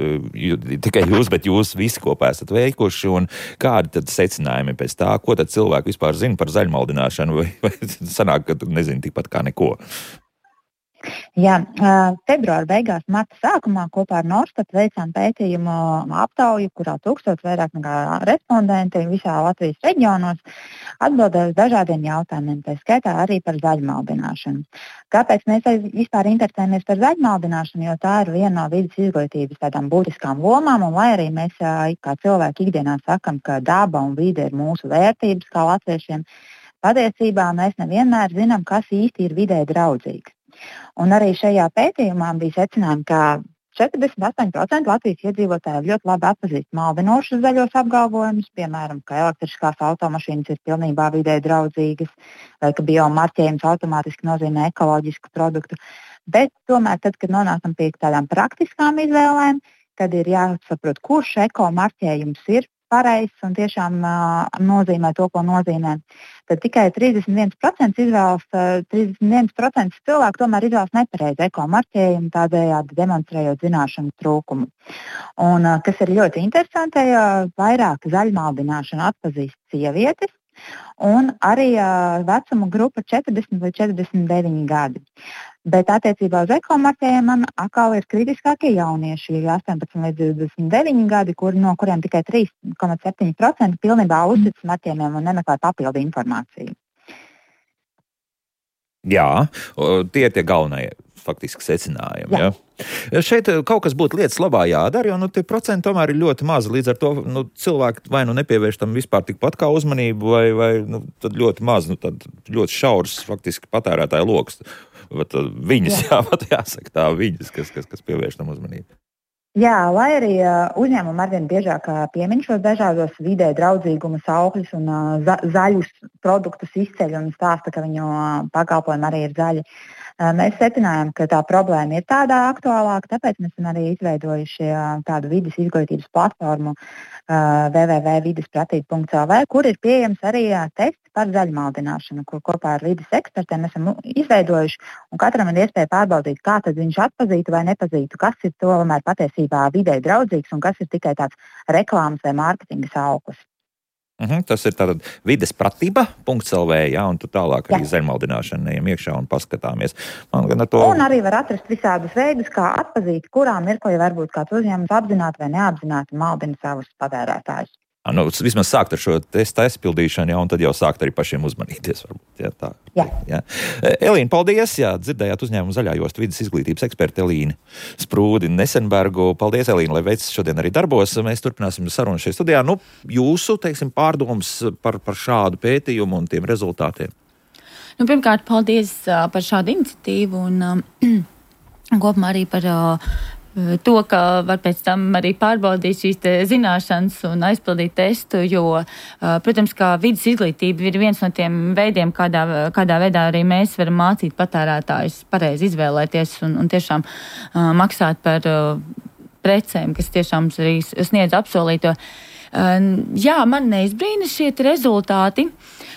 tikai jūs, bet jūs visi kopā esat veikuši, un kādi tad secinājumi pēc tā, ko tad cilvēki vispār zina par zaļmaldināšanu, vai, vai sanāk, ka nezinu tikpat kā neko? Jā, februāra beigās, marta sākumā kopā ar Norstat veicām pētījumu aptauju, kurā tūkstots vairāk nekā respondenti visā Latvijas reģionos atbildēja uz dažādiem jautājumiem, tā skaitā arī par zaļmaldināšanu. Kāpēc mēs vispār interesējamies par zaļmaldināšanu, jo tā ir viena no vides izglītības tādām būtiskām lomām, un lai arī mēs kā cilvēki ikdienā sakam, ka daba un vide ir mūsu vērtības kā latviešiem, patiesībā mēs nevienmēr zinām, kas īsti ir vidē draudzīgs. Un arī šajā pētījumā bija secinājumi, ka četrdesmit astoņi procenti Latvijas iedzīvotāji ļoti labi atpazīst maldinošus zaļos apgalvojumus, piemēram, ka elektriskās automašīnas ir pilnībā vidē draudzīgas, vai ka biomarķējums automātiski nozīmē ekoloģisku produktu. Bet tomēr, tad, kad nonākam pie tādām praktiskām izvēlēm, kad ir jāsaprot, kurš ekomarķējums ir pareizs un tiešām uh, nozīmē to, ko nozīmē, tad tikai trīsdesmit viens procents izvēlas, uh, trīsdesmit viens procents cilvēku tomēr izvēlas nepareizu ekomarķējumu, tādējādi demonstrējot zināšanu trūkumu. Un, uh, kas ir ļoti interesanti, uh, vairāk zaļmaldināšanu atpazīst sievietes, un arī uh, vecuma grupa četrdesmit līdz četrdesmit deviņi gadi. Bet attiecībā uz ekomarķējiem man atkal ir kritiskākie jaunieši, astoņpadsmit līdz divdesmit deviņi gadi, kur, no kuriem tikai trīs komats septiņi procenti pilnībā uztic marķējumiem un nemeklē papildu informāciju. Jā, tie ir tie galvenie faktiski secinājumi. Jā. Ja? Šeit kaut kas būtu lietas labā jādara, jo nu, tie procenti tomēr ir ļoti mazi. Līdz ar to nu, cilvēki vai nu nepievērš tam vispār tikpat kā uzmanību, vai, vai nu, tad ļoti maz, nu, tad ļoti šaurs faktiski patērētāju loks. Bet viņas, jā, jā jāsaka tā, viņas, kas, kas, kas pievērš tam uzmanību. Jā, lai arī uh, uzņēmumi arvien biežāk piemin šos dažādos vidē draudzīguma saukļus un uh, za, zaļus produktus izceļ un stāsta, ka viņu uh, pakalpojumi arī ir zaļi. Mēs secinājām, ka tā problēma ir tādā aktuālāka, tāpēc mēs esam arī izveidojuši tādu vides izglītības platformu w w w punkt vides pratība punkt l v, kur ir pieejams arī tests par zaļmaldināšanu, ko kopā ar vides ekspertiem esam izveidojuši, un katram ir iespēja pārbaudīt, kā tad viņš atpazītu vai nepazītu, kas ir tomēr patiesībā videi draudzīgs un kas ir tikai tāds reklāmas vai mārketinga sauklis. Mhm, tas ir tātad vides pratība punkts l v, jā, un tu tālāk arī Jā. zaļmaldināšanu ejam iekšā un paskatāmies. Man gan ar to... Un arī var atrast visādus veidus, kā atpazīt, kurā mirklī varbūt kāds uzņēmums apzināti vai neapzināti maldina savus patērētājus. Nu, vismaz sākt ar šo testu aizpildīšanu, jā, un tad jau sākt arī pašiem uzmanīties. Varbūt, jā, tā. Jā. Jā. Elīna, paldies! Jā, dzirdējāt uzņēmumu Zaļā josta vides izglītības eksperti Elīnu Sprūdi Nesenbergu. Paldies, Elīna, lai veids šodien arī darbos. Mēs turpināsim sarunu šajā studijā. Nu, jūsu, teiksim, pārdomas par, par šādu pētījumu un tiem rezultātiem? Nu, pirmkārt, paldies uh, par šādu iniciatīvu un um, kopumā arī par... Uh, To, ka var pēc tam arī pārbaudīt šīs zināšanas un aizpildīt testu, jo, protams, kā vides izglītība ir viens no tiem veidiem, kādā, kādā veidā arī mēs varam mācīt patērētājus pareizi izvēlēties un, un tiešām uh, maksāt par uh, precēm, kas tiešām arī sniedz apsolīto. Uh, jā, man neizbrīna šie rezultāti.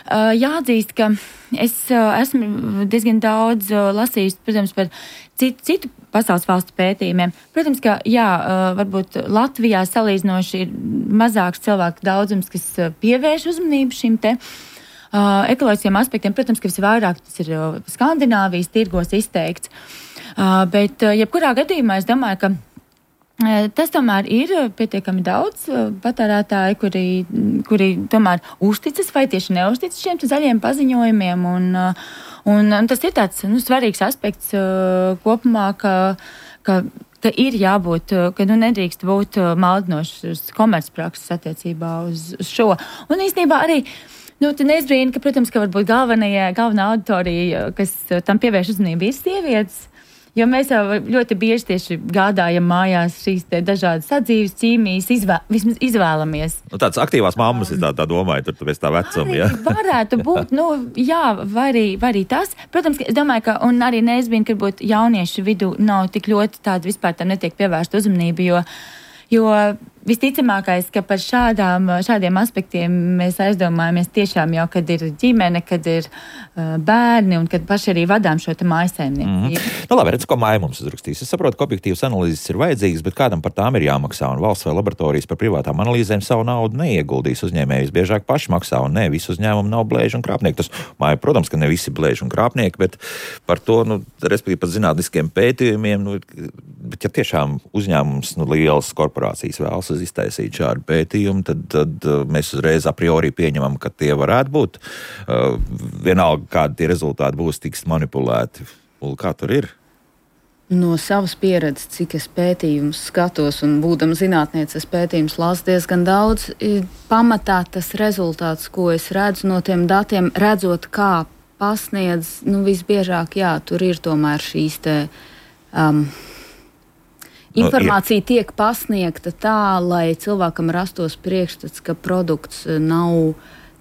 Uh, jāatzīst, ka es uh, esmu diezgan daudz uh, lasījis, protams, par citu, citu pasaules valstu pētījumiem. Protams, ka jā, uh, varbūt Latvijā salīdzinoši ir mazāks cilvēku daudzums, kas uh, pievērš uzmanību šim te uh, ekoloģiskiem aspektiem. Protams, ka visvairāk tas ir uh, Skandināvijas tirgos izteikts. Uh, bet uh, jebkurā gadījumā es domāju, ka tas tomēr ir pietiekami daudz patērētāji, kuri, kuri tomēr uzticas vai tieši neuzticas šiem zaļiem paziņojumiem. Un, un, un tas ir tāds nu, svarīgs aspekts kopumā, ka, ka, ka ir jābūt, ka nu, nedrīkst būt maldinošas komercprakses attiecībā uz, uz šo. Un īstenībā arī Nu, te neizbrīna, ka, protams, ka varbūt galvenajā, galvenā auditorija, kas tam pievērš uzmanību, ir sievietes. Jo mēs jau ļoti bieži tieši gādājam mājās šīs te dažādas sadzīves ķīmijas, izvē, vismaz izvēlamies. Nu, tāds aktīvās mammas, es tā, tā domāju, tur tu pēc tā vecuma, jā. Varētu būt, nu, jā, vai arī, vai arī tas. Protams, es domāju, ka, un arī neizbrīna, ka varbūt jauniešu vidū nav tik ļoti tāda vispār tam netiek pievērsta uzmanība, jo, jo visticamākais, ka par šādām, šādiem aspektiem mēs aizdomājamies tiešām jau, kad ir ģimene, kad ir uh, bērni un kad paši arī vadām šo te mājsaimniecību. Mm-hmm. Nu labi, redz, ko māja mums uzrakstīs. Es saprotu, ka objektīvas analīzes ir vajadzīgas, bet kādam par tām ir jāmaksā, un valsts vai laboratorijas par privātām analīzēm savu naudu neieguldīs. Uzņēmējus biežāk paši maksā, un ne visi uzņēmumi nav blēži un krāpnieki. Tas māja, protams, ka ne visi blēži un krāpnieki, bet par to, nu, respektīvi pat zinātniskiem pētījumiem, nu, bet ja tiešām uzņēmums, nu, lielas korporācijas vēlas iztaisīt šādu pētījumu, tad, tad mēs uzreiz a priori pieņemam, ka tie varētu būt. Uh, vienalga, kādi tie rezultāti būs, tiks manipulēti. Un kā tur ir? No savas pieredzes, cik es pētījumus skatos un būdama zinātniece, es pētījumus lasu diezgan daudz, pamatā tas rezultāts, ko es redzu no tiem datiem, redzot, kā pasniedz, nu visbiežāk, jā, tur ir tomēr šīs te... Um, Informācija tiek pasniegta tā, lai cilvēkam rastos priekšstats, ka produkts nav,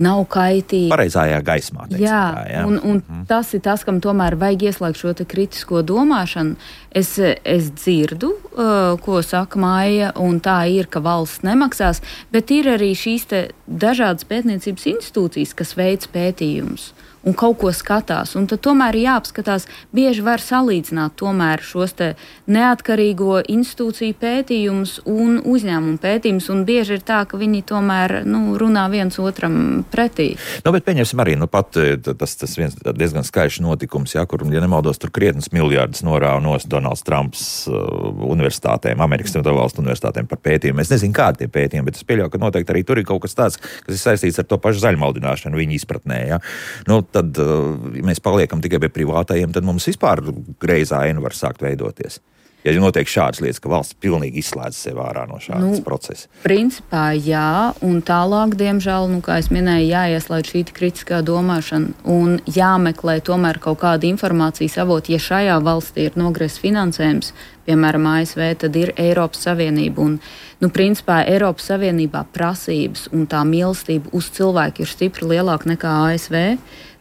nav kaitīgs. Pareizajā gaismā. Teiksim, jā, tā, jā, un, un mm. tas ir tas, kam tomēr vajag ieslēgt šo te kritisko domāšanu. Es, es dzirdu, uh, ko saka Maija, un tā ir, ka valsts nemaksās, bet ir arī šīs te dažādas pētniecības institūcijas, kas veic pētījumus un kaut ko skatās. Un tad tomēr jāapskatās, bieži var salīdzināt tomēr šos te neatkarīgo institūciju pētījumus un uzņēmumu pētījumus, un bieži ir tā, ka viņi tomēr nu, runā viens otram pretī. Nu, bet pieņemsim arī, nu pat tas, tas viens diezgan skaļš notikums, jā, kur, ja nemaldos, tur krietnes miljārdus norāva nos Donalds Trumps uh, universitātēm, Amerikas valstu universitātēm par pētījumu. Es nezinu, kādi tie pētījumi, bet es pieļauju, ka noteikti arī tur ir kaut kas tāds, kas ir saistīts ar to pašu zaļmaldināšanu viņa izpratnē, jā. Nu, tad, ja mēs paliekam tikai pie privātajiem, tad mums vispār greizā aina var sākt veidoties. Ja notiek šādas lietas, ka valsts pilnīgi izslēdz sevi ārā no šādas nu, procesa. Principā jā, un tālāk, diemžēl, nu, kā es minēju, jāieslēdz šī kritiskā domāšana un jāmeklē tomēr kaut kāda informācijas avot. Ja šajā valstī ir nogriezts finansējums, piemēram, A S V, tad ir Eiropas Savienība. Un, nu, principā Eiropas Savienībā prasības un tā mīlestība uz cilvēku ir stipri lielāka nekā A S V.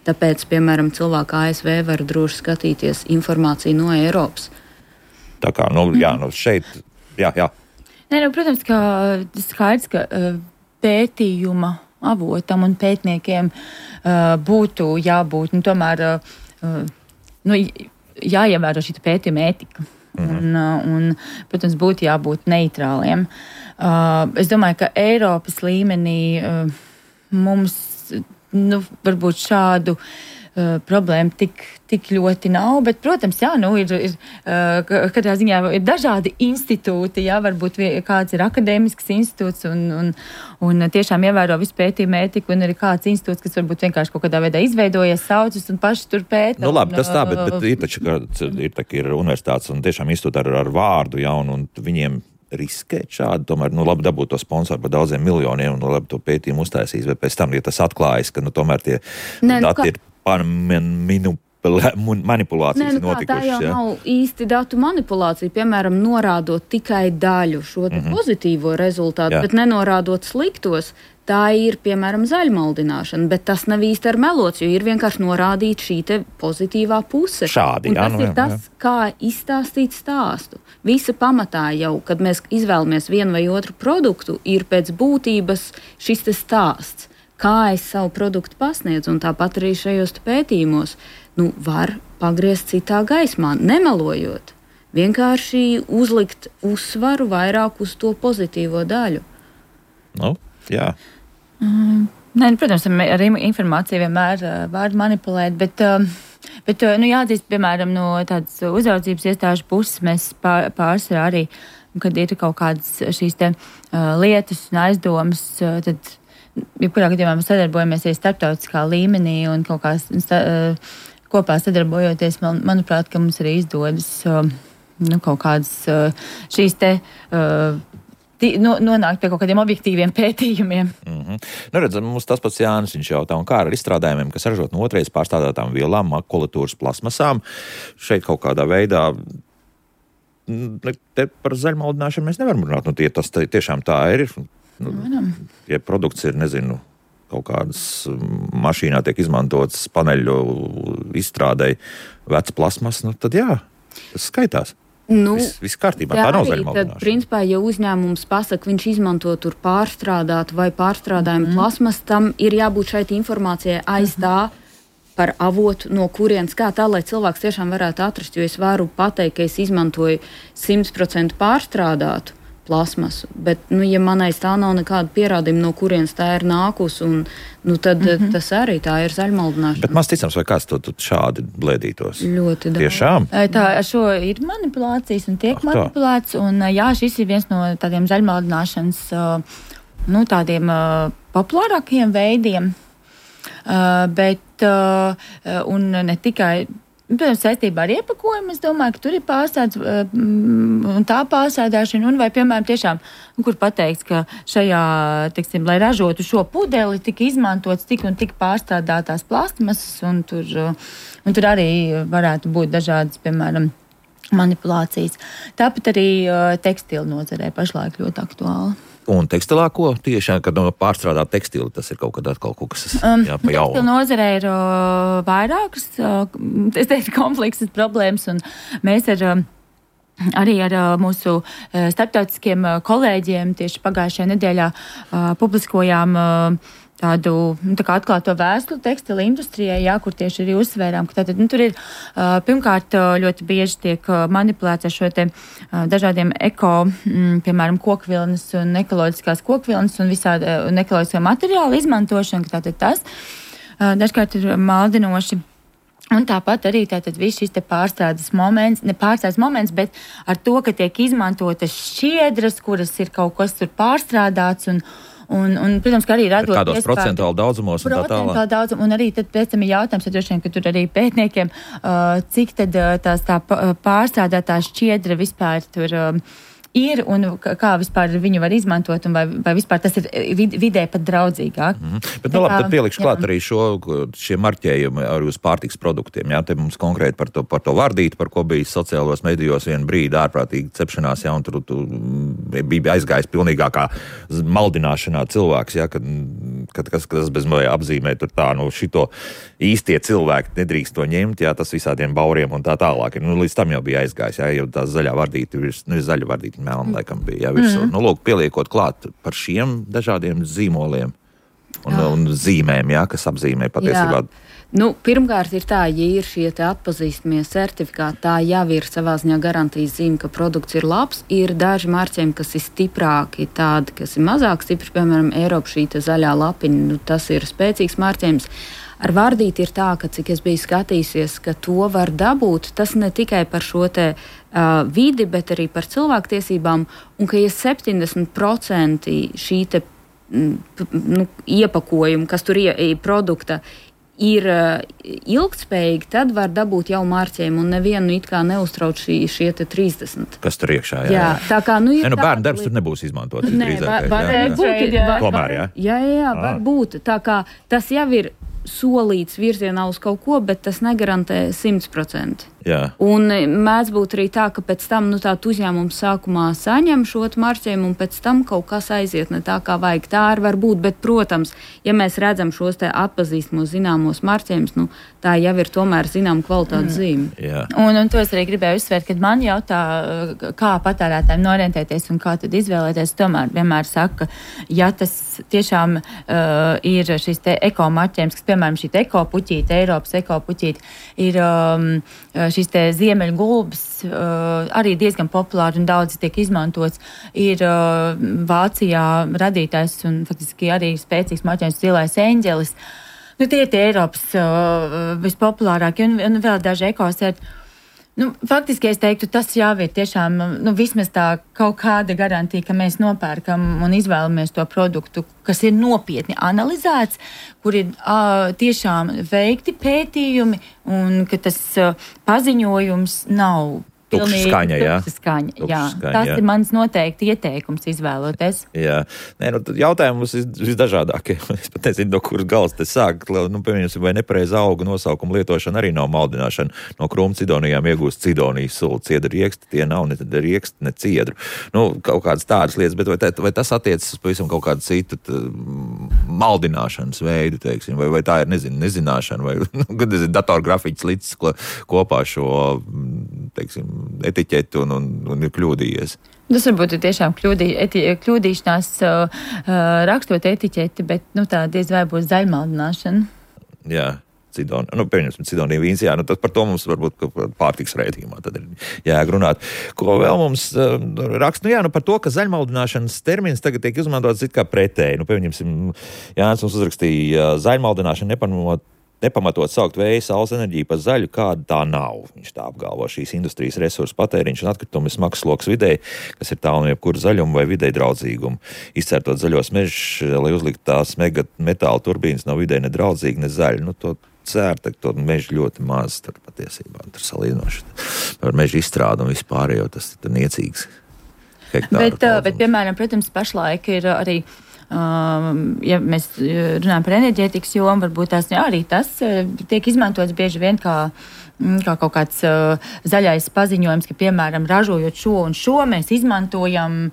Tāpēc, piemēram, cilvēki A S V var droši skatīties informāciju no Eiropas. Tā kā, nu, jā, nu šeit, jā, jā. Nē, nu, protams, ka skaidrs, ka uh, pētījuma avotam un pētniekiem uh, būtu jābūt, nu, tomēr, uh, nu, jāievēro šī pētījuma ētika. Mm-hmm. Un, uh, un, protams, būtu jābūt neitrāliem. Uh, es domāju, ka Eiropas līmenī uh, mums, nu, varbūt šādu Uh, problēma tik, tik ļoti nav, bet, protams, jā, nu, ir, ir uh, katrā ziņā ir dažādi institūti, jā, varbūt vie, kāds ir akadēmisks institūts un, un, un tiešām ievēro visu pētījumu ētiku, un arī kāds institūts, kas varbūt vienkārši kaut kādā veidā izveidojies, saucas un paši tur pēta. Nu, labi, un, tas tā, bet, bet ir taču, ka ir, tā, ir universitātes un tiešām institūti ar, ar vārdu, jā, un, un viņiem riskēt šādi, tomēr, nu, labi dabūt to sponsoru par daudziem miljoniem un, nu, labi to pētījumu uztaisīs, bet pēc tam, ja tas atklājas, ka, nu, tomēr tie Nē, nu, dati kā... ir manipulācijas Nē, nu notikušas. Tā jau ja? nav īsti datu manipulācija, piemēram, norādot tikai daļu šo mm-hmm. pozitīvo rezultātu, jā. Bet nenorādot sliktos. Tā ir, piemēram, zaļmaldināšana, bet tas nav īsti ar melots, jo ir vienkārši norādīta šī te pozitīvā puse. Šādi, un jā, tas nu, jā, ir tas, jā. Kā izstāstīt stāstu. Visa pamatā jau, kad mēs izvēlamies vienu vai otru produktu, ir pēc būtības šis te stāsts. Kā es savu produktu pasniedzu, un tāpat arī šajos pētījumos, nu, var pagriezt citā gaismā, nemelojot. Vienkārši uzlikt uzsvaru vairāk uz to pozitīvo daļu. Nu, jā. Mm, nē, nu, protams, ar informāciju vienmēr uh, var manipulēt, bet, uh, bet uh, nu, jāatzīst, piemēram, no tādas uzraudzības iestāžu puses mēs pār, pārsvarā arī, kad ir kaut kādas šīs te uh, lietas un aizdomas, uh, tad jebkurā gadījumā mēs sadarbojamies arī starptautiskā līmenī un kaut kā sta, kopā sadarbojoties, man, manuprāt, ka mums arī izdodas nu, kaut kādas šīs te no, nonākt pie kaut kādiem objektīviem pētījumiem. Mm-hmm. Nu, redzam, mums tas pats Jānis, viņš jautā, un kā ar izstrādājumiem, kas ražot no otrais pārstrādātām vielām, makulatūras plasmasām, šeit kaut kādā veidā te par zaļmaldināšanu mēs nevaram runāt, nu tie tas tiešām tā ir. Nu, ja produkts ir, nezinu, kaut kādas mašīnā tiek izmantotas paneļu izstrādei vecs plasmas, nu tad jā, tas skaitās. Nu, Viss, viss kārtībā, tā nav zaļmaldināšana. Principā, ja uzņēmums pasaka, viņš izmanto tur pārstrādātu vai pārstrādājumu mm. plasmas, tam ir jābūt šeit informācijai aiz tā par avotu, no kurienes kā tā, lai cilvēks tiešām varētu atrast, jo es varu pateikt, ka es izmantoju simt procenti pārstrādātu plasmasu, bet, nu, ja manai tā nav nekāda pierādījuma, no kurienes tā ir nākus, un, nu, tad mm-hmm. tas arī tā ir zaļmaldināšana. Bet maz ticams, vai kāds to šādi blēdītos? Ļoti daudz. Tiešām? Tā, ar šo ir manipulācijas un tiek ah, manipulēts, un jā, šis ir viens no tādiem zaļmaldināšanas, nu, tādiem populārākajiem veidiem, bet, un ne tikai Protams, saistībā ar iepakojumu, es domāju, ka tur ir pārstāds un tā pārsādāšana, un vai, piemēram, tiešām, kur pateikts, ka šajā, teiksim, lai ražotu šo pudeli, tika izmantots tik un tik pārstrādātās plastmasas, un tur, un tur arī varētu būt dažādas, piemēram, manipulācijas. Tāpat arī tekstilu nozarē pašlaik ļoti aktuāli. Un tekstilā ko tieši, kad no pārstrādāt tekstili, tas ir kaut kad atkal kaut kas um, jā, pa jaunu. Tekstilu nozarē ir uh, vairākas, uh, es teiktu, kompleksas problēmas, un mēs ar, uh, arī ar uh, mūsu uh, starptautiskiem uh, kolēģiem tieši pagājušajā nedēļā uh, publiskojām uh, tādu nu, tā kā atklāto vēstuli tekstila industrijai, jā, kur tieši arī uzsvērām, ka tātad, nu, tur ir uh, pirmkārt ļoti bieži tiek uh, manipulēts ar šo te uh, dažādiem eko, mm, piemēram, kokvilnas un ekoloģiskās kokvilnas un visādi uh, un ekoloģiskā materiāla izmantošana, ka tātad tas uh, dažkārt ir maldinoši. Un tāpat arī tātad viss šis te pārstrādes moments, ne pārstrādes moments, bet ar to, ka tiek izmantotas šķiedras, kuras ir kaut kas tur pārstrādāts un Un, un, protams, ka arī radot kādos procentuāli daudzumos un tā tālāk. Procentuāli daudzum, un arī tad pēc tam ir jautājums, ja droši vien, ka tur arī pētniekiem, uh, cik tad uh, tās tā pārstrādātā šķiedra vispār tur uh, ir un kā vispār viņu var izmantot un vai, vai vispār tas ir vid, vidē pat draudzīgāk. Mm-hmm. Bet, nu labi, tad pielikšu klāt arī šo, šie marķējumi arī uz pārtiks produktiem, jā, te mums konkrēti par to, par to vardīti, par ko bija sociālos medijos vienu brīdi ārprātīgi cepšanās, jā, un tur tu, bija aizgājis pilnīgākā maldināšanā cilvēks, jā, kad, kad kas, kas bez mazliet apzīmē tur tā, nu šito īstie cilvēki nedrīkst to ņemt, jā, tas visādiem bauriem un tā tālāk. Nu, līdz tam jau bija aizgājis, jā, jau tā zaļā vardīti, nu, zaļa vardīti melna, laikam bija, jā, virsū. Mm. Nu, lūk, pieliekot klāt par šiem dažādiem zīmoliem un, un zīmēm, jā, kas apzīmē patiesībā. Jā. Nu, pirmkārt ir tā, ja ir šie te atpazīstamie certifikāti, tā jau ir savā ziņā garantijas zīme, ka produkts ir labs. Ir daži marķējumi, kas ir stiprāki, tādi, kas ir mazāk stipri, piemēram, Eiropa šī te zaļā lapiņa, nu, tas ir spēcīgs marķējums. Ar vardīti ir tā, ka, cik es biju skatījusies, ka to var dabūt, tas ne tikai par šo te uh, vidi, bet arī par cilvēktiesībām, un ka ja septiņdesmit procenti šī te nu, iepakojuma, kas tur ir produkta, ir uh, ilgtspējīgi, tad var dabūt jau marķējumu, un nevienu it kā neuztrauc šī, šie te trīsdesmit. Kas tur iekšā, jā. Jā, tā kā, nu, ir ne, nu, tā, bērnu darbs tur nebūs izmantot. Nē, var, var, jā, jā. Būt, jā. Var, Tomēr, jā. Jā, jā, jā, var būt. Tā kā tas jau ir solīts virzienā uz kaut ko, bet tas negarantē simt procenti. Jā. Un mēdz būt arī tā, ka pēc tam nu, tā uzņēmums sākumā saņem šo marķējumu un pēc tam kaut kas aiziet ne tā, kā vajag. Tā arī var būt, bet, protams, ja mēs redzam šos te atpazīstamos zināmos marķējumus, nu, tā jau ir tomēr zinām kvalitātes zīme. Jā. Un, un to es arī gribēju uzsvērt, kad man jautā, kā patērētājiem orientēties un kā tad izvēlēties, tomēr vienmēr saka, ja tas tiešām uh, ir šis te eko marķējums, kas, piemēram, šī eko puķīte, Eiropas eko puķīte, ir um, šis te ziemeļu gulbis, uh, arī diezgan populāri un daudz tiek izmantots, ir uh, Vācijā radītājs un faktiski arī spēcīgs marķējums zilais eņģelis. Nu, tie ir tie Eiropas uh, vispopulārākie un, un vēl daži ekosērti. Nu, faktiski es teiktu, tas jau ir tiešām nu, vismaz tā kaut kāda garantija, ka mēs nopērkam un izvēlamies to produktu, kas ir nopietni analizēts, kur ir uh, tiešām veikti pētījumi un ka tas uh, paziņojums nav Tukša skaņa, jā. Tukša skaņa, Tukša jā. skaņa, Tas jā. ir mans noteikti ieteikums izvēloties. Jā. Nē, nu, jautājumi mums ir visdažādākie. Es pat nezinu, no kuras galas te sāk. Nu, piemēram, vai nepareiza auga nosaukuma lietošana arī nav maldināšana. No krūmu cidonijām iegūst cidonijas sulu. Ciedra rieksti, tie nav ne rieksti, ne ciedru. Nu, kaut kādas tādas lietas, bet vai, tā, vai tas attiecas pavisam kaut kādu citu tā, maldināšanas veidu, teiksim, vai, vai tā ir, nezinu, nezināšana, vai, nu, nezinu, datorgrafiķis līdz kopā šo, teiksim, etiķeti un, un, un ir kļūdījies. Tas varbūt ir tiešām kļūdī, eti, kļūdīšanās uh, rakstot etiķeti, bet nu, tā diez vai būs zaļmaldināšana. Jā, Cidon, nu, pieņemsim, Cidonija vīns, jā, nu, tas par to mums varbūt pārtiks raidījumā tad ir jāgrunāt. Ko vēl mums uh, raksta? Nu jā, nu par to, ka zaļmaldināšanas termins tagad tiek izmantots it kā pretēji. Nu, pieņemsim, Jānis mums uzrakstīja zaļmaldināšana nepamanot nepamatot saukt vēja saules enerģiju par zaļu, kāda tā nav. Viņš tā apgalvo šīs industrijas resursu patēriņš un atkritumi smags sloks videi, kas ir tālu no jebkura zaļuma vai videi draudzīguma. Izcērtot zaļos mežus, lai uzlikt tās mega metāla turbīnas nav videi ne draudzīgi, ne zaļi. Nu, to cērta, to mežu ļoti maz tur patiesībā. Tur salīdzinoši par mežu izstrādu un vispār, jo tas ir niecīgs hektāru. Bet, bet, piemēram, protams, pašlaik ir arī Um, ja mēs runājam par enerģētikas jomu, varbūt tās jā, arī tas tiek izmantots bieži vien kā, kā kaut kāds uh, zaļais paziņojums, ka, piemēram, ražojot šo un šo, mēs izmantojam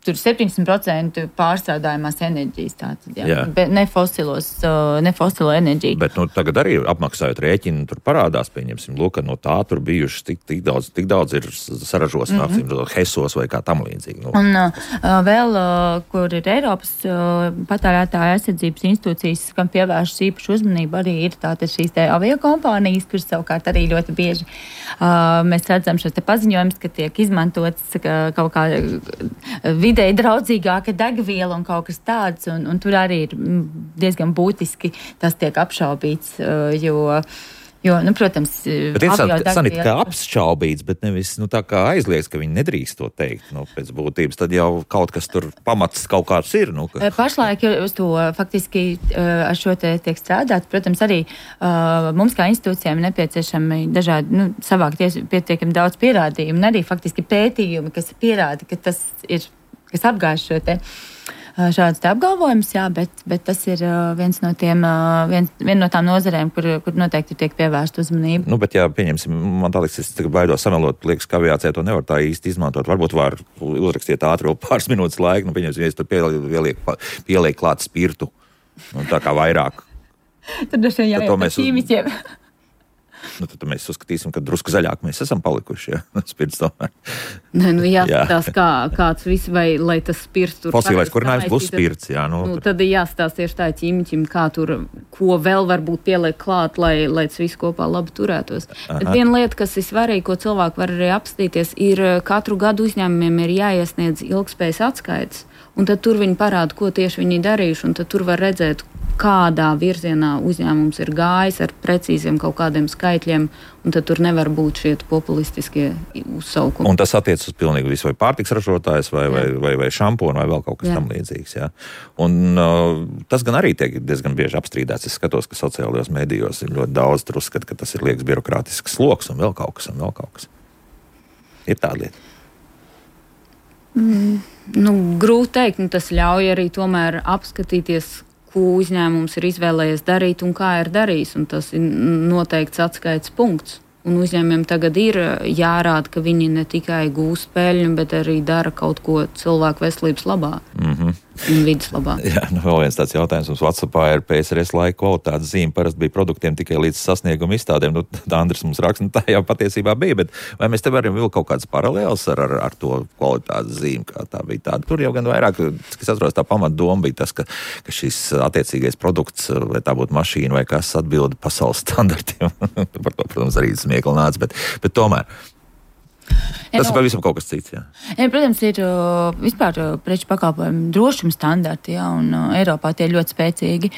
tur septiņdesmit procenti pārstrādājumās enerģijas, tātad, jā, jā. Bet ne fosilos, ne fosilo enerģiju. Bet, nu, tagad arī apmaksājot rēķinu, tur parādās, pieņemsim, lūk, no tā tur bijuši tik, tik daudz, tik daudz ir saražos, mm -hmm. hesos vai kā tam līdzīgi. Nu. Un uh, vēl, uh, kur ir Eiropas uh, patērētāja aizsardzības institūcijas, kam pievēršas īpašu uzmanību, arī ir tātad šīs te aviokompānijas, kuras savukārt arī ļoti bieži uh, mēs redzam šos te paziņojumus, ka tiek izmantots ka kaut kā videi draudzīgāka degviela un kaut kas tāds, un, un tur arī ir diezgan būtiski tas tiek apšaubīts, jo, Jo, nu, protams, bet interesanti, Sanita, kā apšaubīts, bet nevis nu, tā kā aizliedz, ka viņi nedrīkst to teikt. Nu, pēc būtības tad jau kaut kas tur pamats kaut kāds ir. Nu, ka... Pašlaik uz to faktiski ar šo te tiek strādāt. Protams, arī uh, mums kā institūcijām nepieciešami dažādi, nu, savākt pietiekami daudz pierādījumu un arī faktiski pētījumi, kas pierāda, ka tas ir, kas apgāž šo te šāds apgalvojums, jā, bet, bet tas ir viens no tiem, viens, viena no tām nozarēm, kur, kur noteikti tiek pievērsta uzmanība. Nu, bet jā, pieņemsim, man tā liekas, es tagad baidos samelot, liekas, ka aviācijā to nevar tā īsti izmantot. Varbūt var uzrakstiet ātri vēl pāris minūtes laika, nu, pieņemsim, ja es tur pieliek, pieliek klāt spirtu, nu, tā kā vairāk. Tad dažiem jāiet par ķīmiķiem. Nu, tad mēs uzskatīsim, ka drusku zaļāk mēs esam palikuši, ja, spirts tomēr. Ne, nu jāskatās, jā. kā, kāds viss, vai, lai tas spirts tur... Fosilais kurinājums būs spirts, jā. Nu, nu, tad jāskatās tieši tā ķīmiķim, kā tur, ko vēl varbūt pieliek klāt, lai, lai tas viss kopā labi turētos. Aha. Bet viena lieta, kas ir svarīga, ko cilvēki var arī apstīties, ir katru gadu uzņēmumiem ir jāiesniedz ilgspējas atskaites, un tad tur viņi parāda, ko tieši viņi darījuši, un tad tur var redzēt, kādā virzienā uzņēmums ir gājis ar precīziem kaut kādiem skaitļiem, un tad tur nevar būt šie populistiskie uzsaukumi. Un tas attiec uz pilnīgi visu, vai pārtiks ražotājs, vai, vai, vai, vai šamponu, vai vēl kaut kas jā. Tam līdzīgs. Jā. Un uh, tas gan arī tiek diezgan bieži apstrīdēts. Es skatos, ka sociālajos medijos ir ļoti daudz tur uzskat, ka tas ir liekas birokrātisks sloks un vēl kaut kas, un vēl kaut kas. Ir tāda lieta. Mm, nu, grūti teikt, nu, tas ļauj arī tomēr apskatīties, ko uzņēmums ir izvēlējies darīt un kā ir darījis, un tas ir noteikts atskaites punkts. Un uzņēmumiem tagad ir jārāda, ka viņi ne tikai gūst peļņu, bet arī dara kaut ko cilvēku veselības labā. Mm-hmm. Un vidas labā. Jā, nu vēl viens tāds jautājums. Mums WhatsAppā ir P S R S laika kvalitātes zīme. Parasti bija produktiem tikai līdz sasnieguma izstādēm. Nu, tā Andris mums raksta, nu tā jau patiesībā bija, bet vai mēs te varam vilkt kaut kādas paralēlas ar, ar, ar to kvalitātes zīmi, kā tā bija tāda? Tur jau gan vairāk, kas atceros, tā pamatdoma bija tas, ka, ka šis attiecīgais produkts, vai tā būtu mašīna vai kas, atbilda pasaules standartiem. Par to, protams, arī smiekli nāca, bet, bet tomēr. Tas ir pavisam kaut kas cits, jā. Jā, protams, ir uh, vispār uh, preču pakalpojumu drošuma standarti, jā, un uh, Eiropā tie ir ļoti spēcīgi.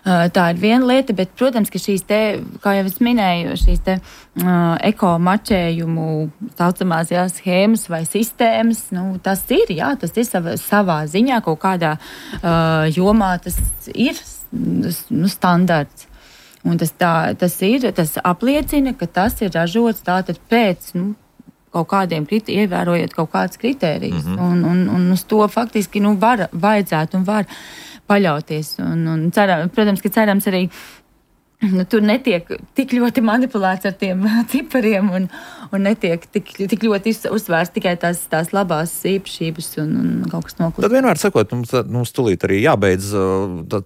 Uh, tā ir viena lieta, bet, protams, ka šīs te, kā jau es minēju, šīs te uh, eko-mačējumu saucamās, jā, schēmas vai sistēmas, nu, tas ir, jā, tas ir savā, savā ziņā kaut kādā uh, jomā, tas ir nu, standarts. Un tas, tā, tas ir, tas apliecina, ka tas ir ražots tātad pēc, nu, kaut kādiem, ievērojot kaut kādas kritērijas. Mm-hmm. Un, un, un uz to faktiski nu, var, vajadzētu un var paļauties. Un, un ceram, protams, ka cerams arī, nu, tur netiek tik ļoti manipulēts ar tiem cipariem un, un netiek tik, tik ļoti uzsvērts tikai tās, tās labās īpašības un, un kaut kas noklūst. Tad vienmēr sakot, mums, mums tūlīt arī jābeidz,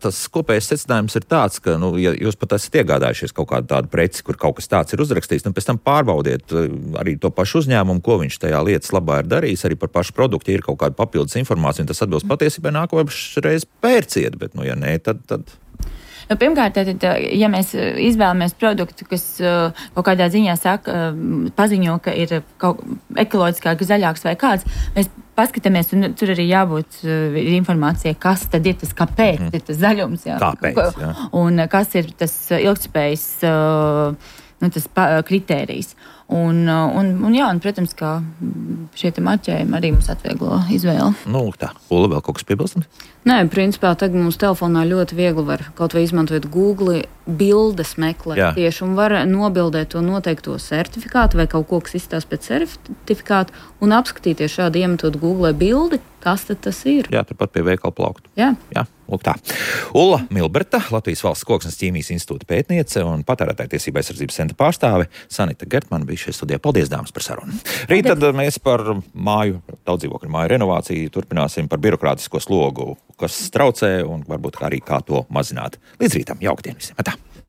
tas kopējais secinājums ir tāds, ka, nu, ja jūs pat esat iegādājušies kaut kādu tādu preci, kur kaut kas tāds ir uzrakstīts, nu, pēc tam pārbaudiet arī to pašu uzņēmumu, ko viņš tajā lietas labā ir darījis, arī par pašu produktu, ja ir kaut kāda papildus informācija, un tas atbilst patiesībai, nākošreiz pērciet, bet, nu, ja nē, tad... tad... Nu, pirmkārt, tad, ja mēs izvēlamies produktu, kas kaut kādā ziņā saka, paziņo, ka ir kaut ekoloģiskāk, zaļāks vai kāds, mēs paskatāmies, un tur arī jābūt informācijai, kas tad ir tas, kāpēc mm. ir tas zaļums. Jā. Kāpēc, jā. Un kas ir tas ilgtspējas nu, tas kritērijs. Un, un, un jā, un, protams, ka šie te marķējumi arī mums atvieglo izvēli. Nu, tā. Ula, vēl kaut kas piebilstams? Nē, principā tagad mums telefonā ļoti viegli var kaut vai izmantot Google bildes meklēt jā. Tieši un var nobildēt to noteikto certifikātu vai kaut ko, kas izstās pēc certifikātu un apskatīties šādi iemetot Google bildi, kas tad tas ir. Jā, turpat pie veikala plauktu. Jā. Jā. Lūk tā. Ulla Milberta, Latvijas Valsts Koksnes ķīmijas institūta pētniece un patērētāju tiesību aizsardzības centra pārstāve Sanita Gertmana bija šajā studijā. Paldies, dāmas, par sarunu. Rīt tad mēs par māju, daudzdzīvokļu māju renovāciju turpināsim par birokrātisko slogu, kas traucē un varbūt arī kā to mazināt. Līdz rītam, jauktdien visiem. Atā.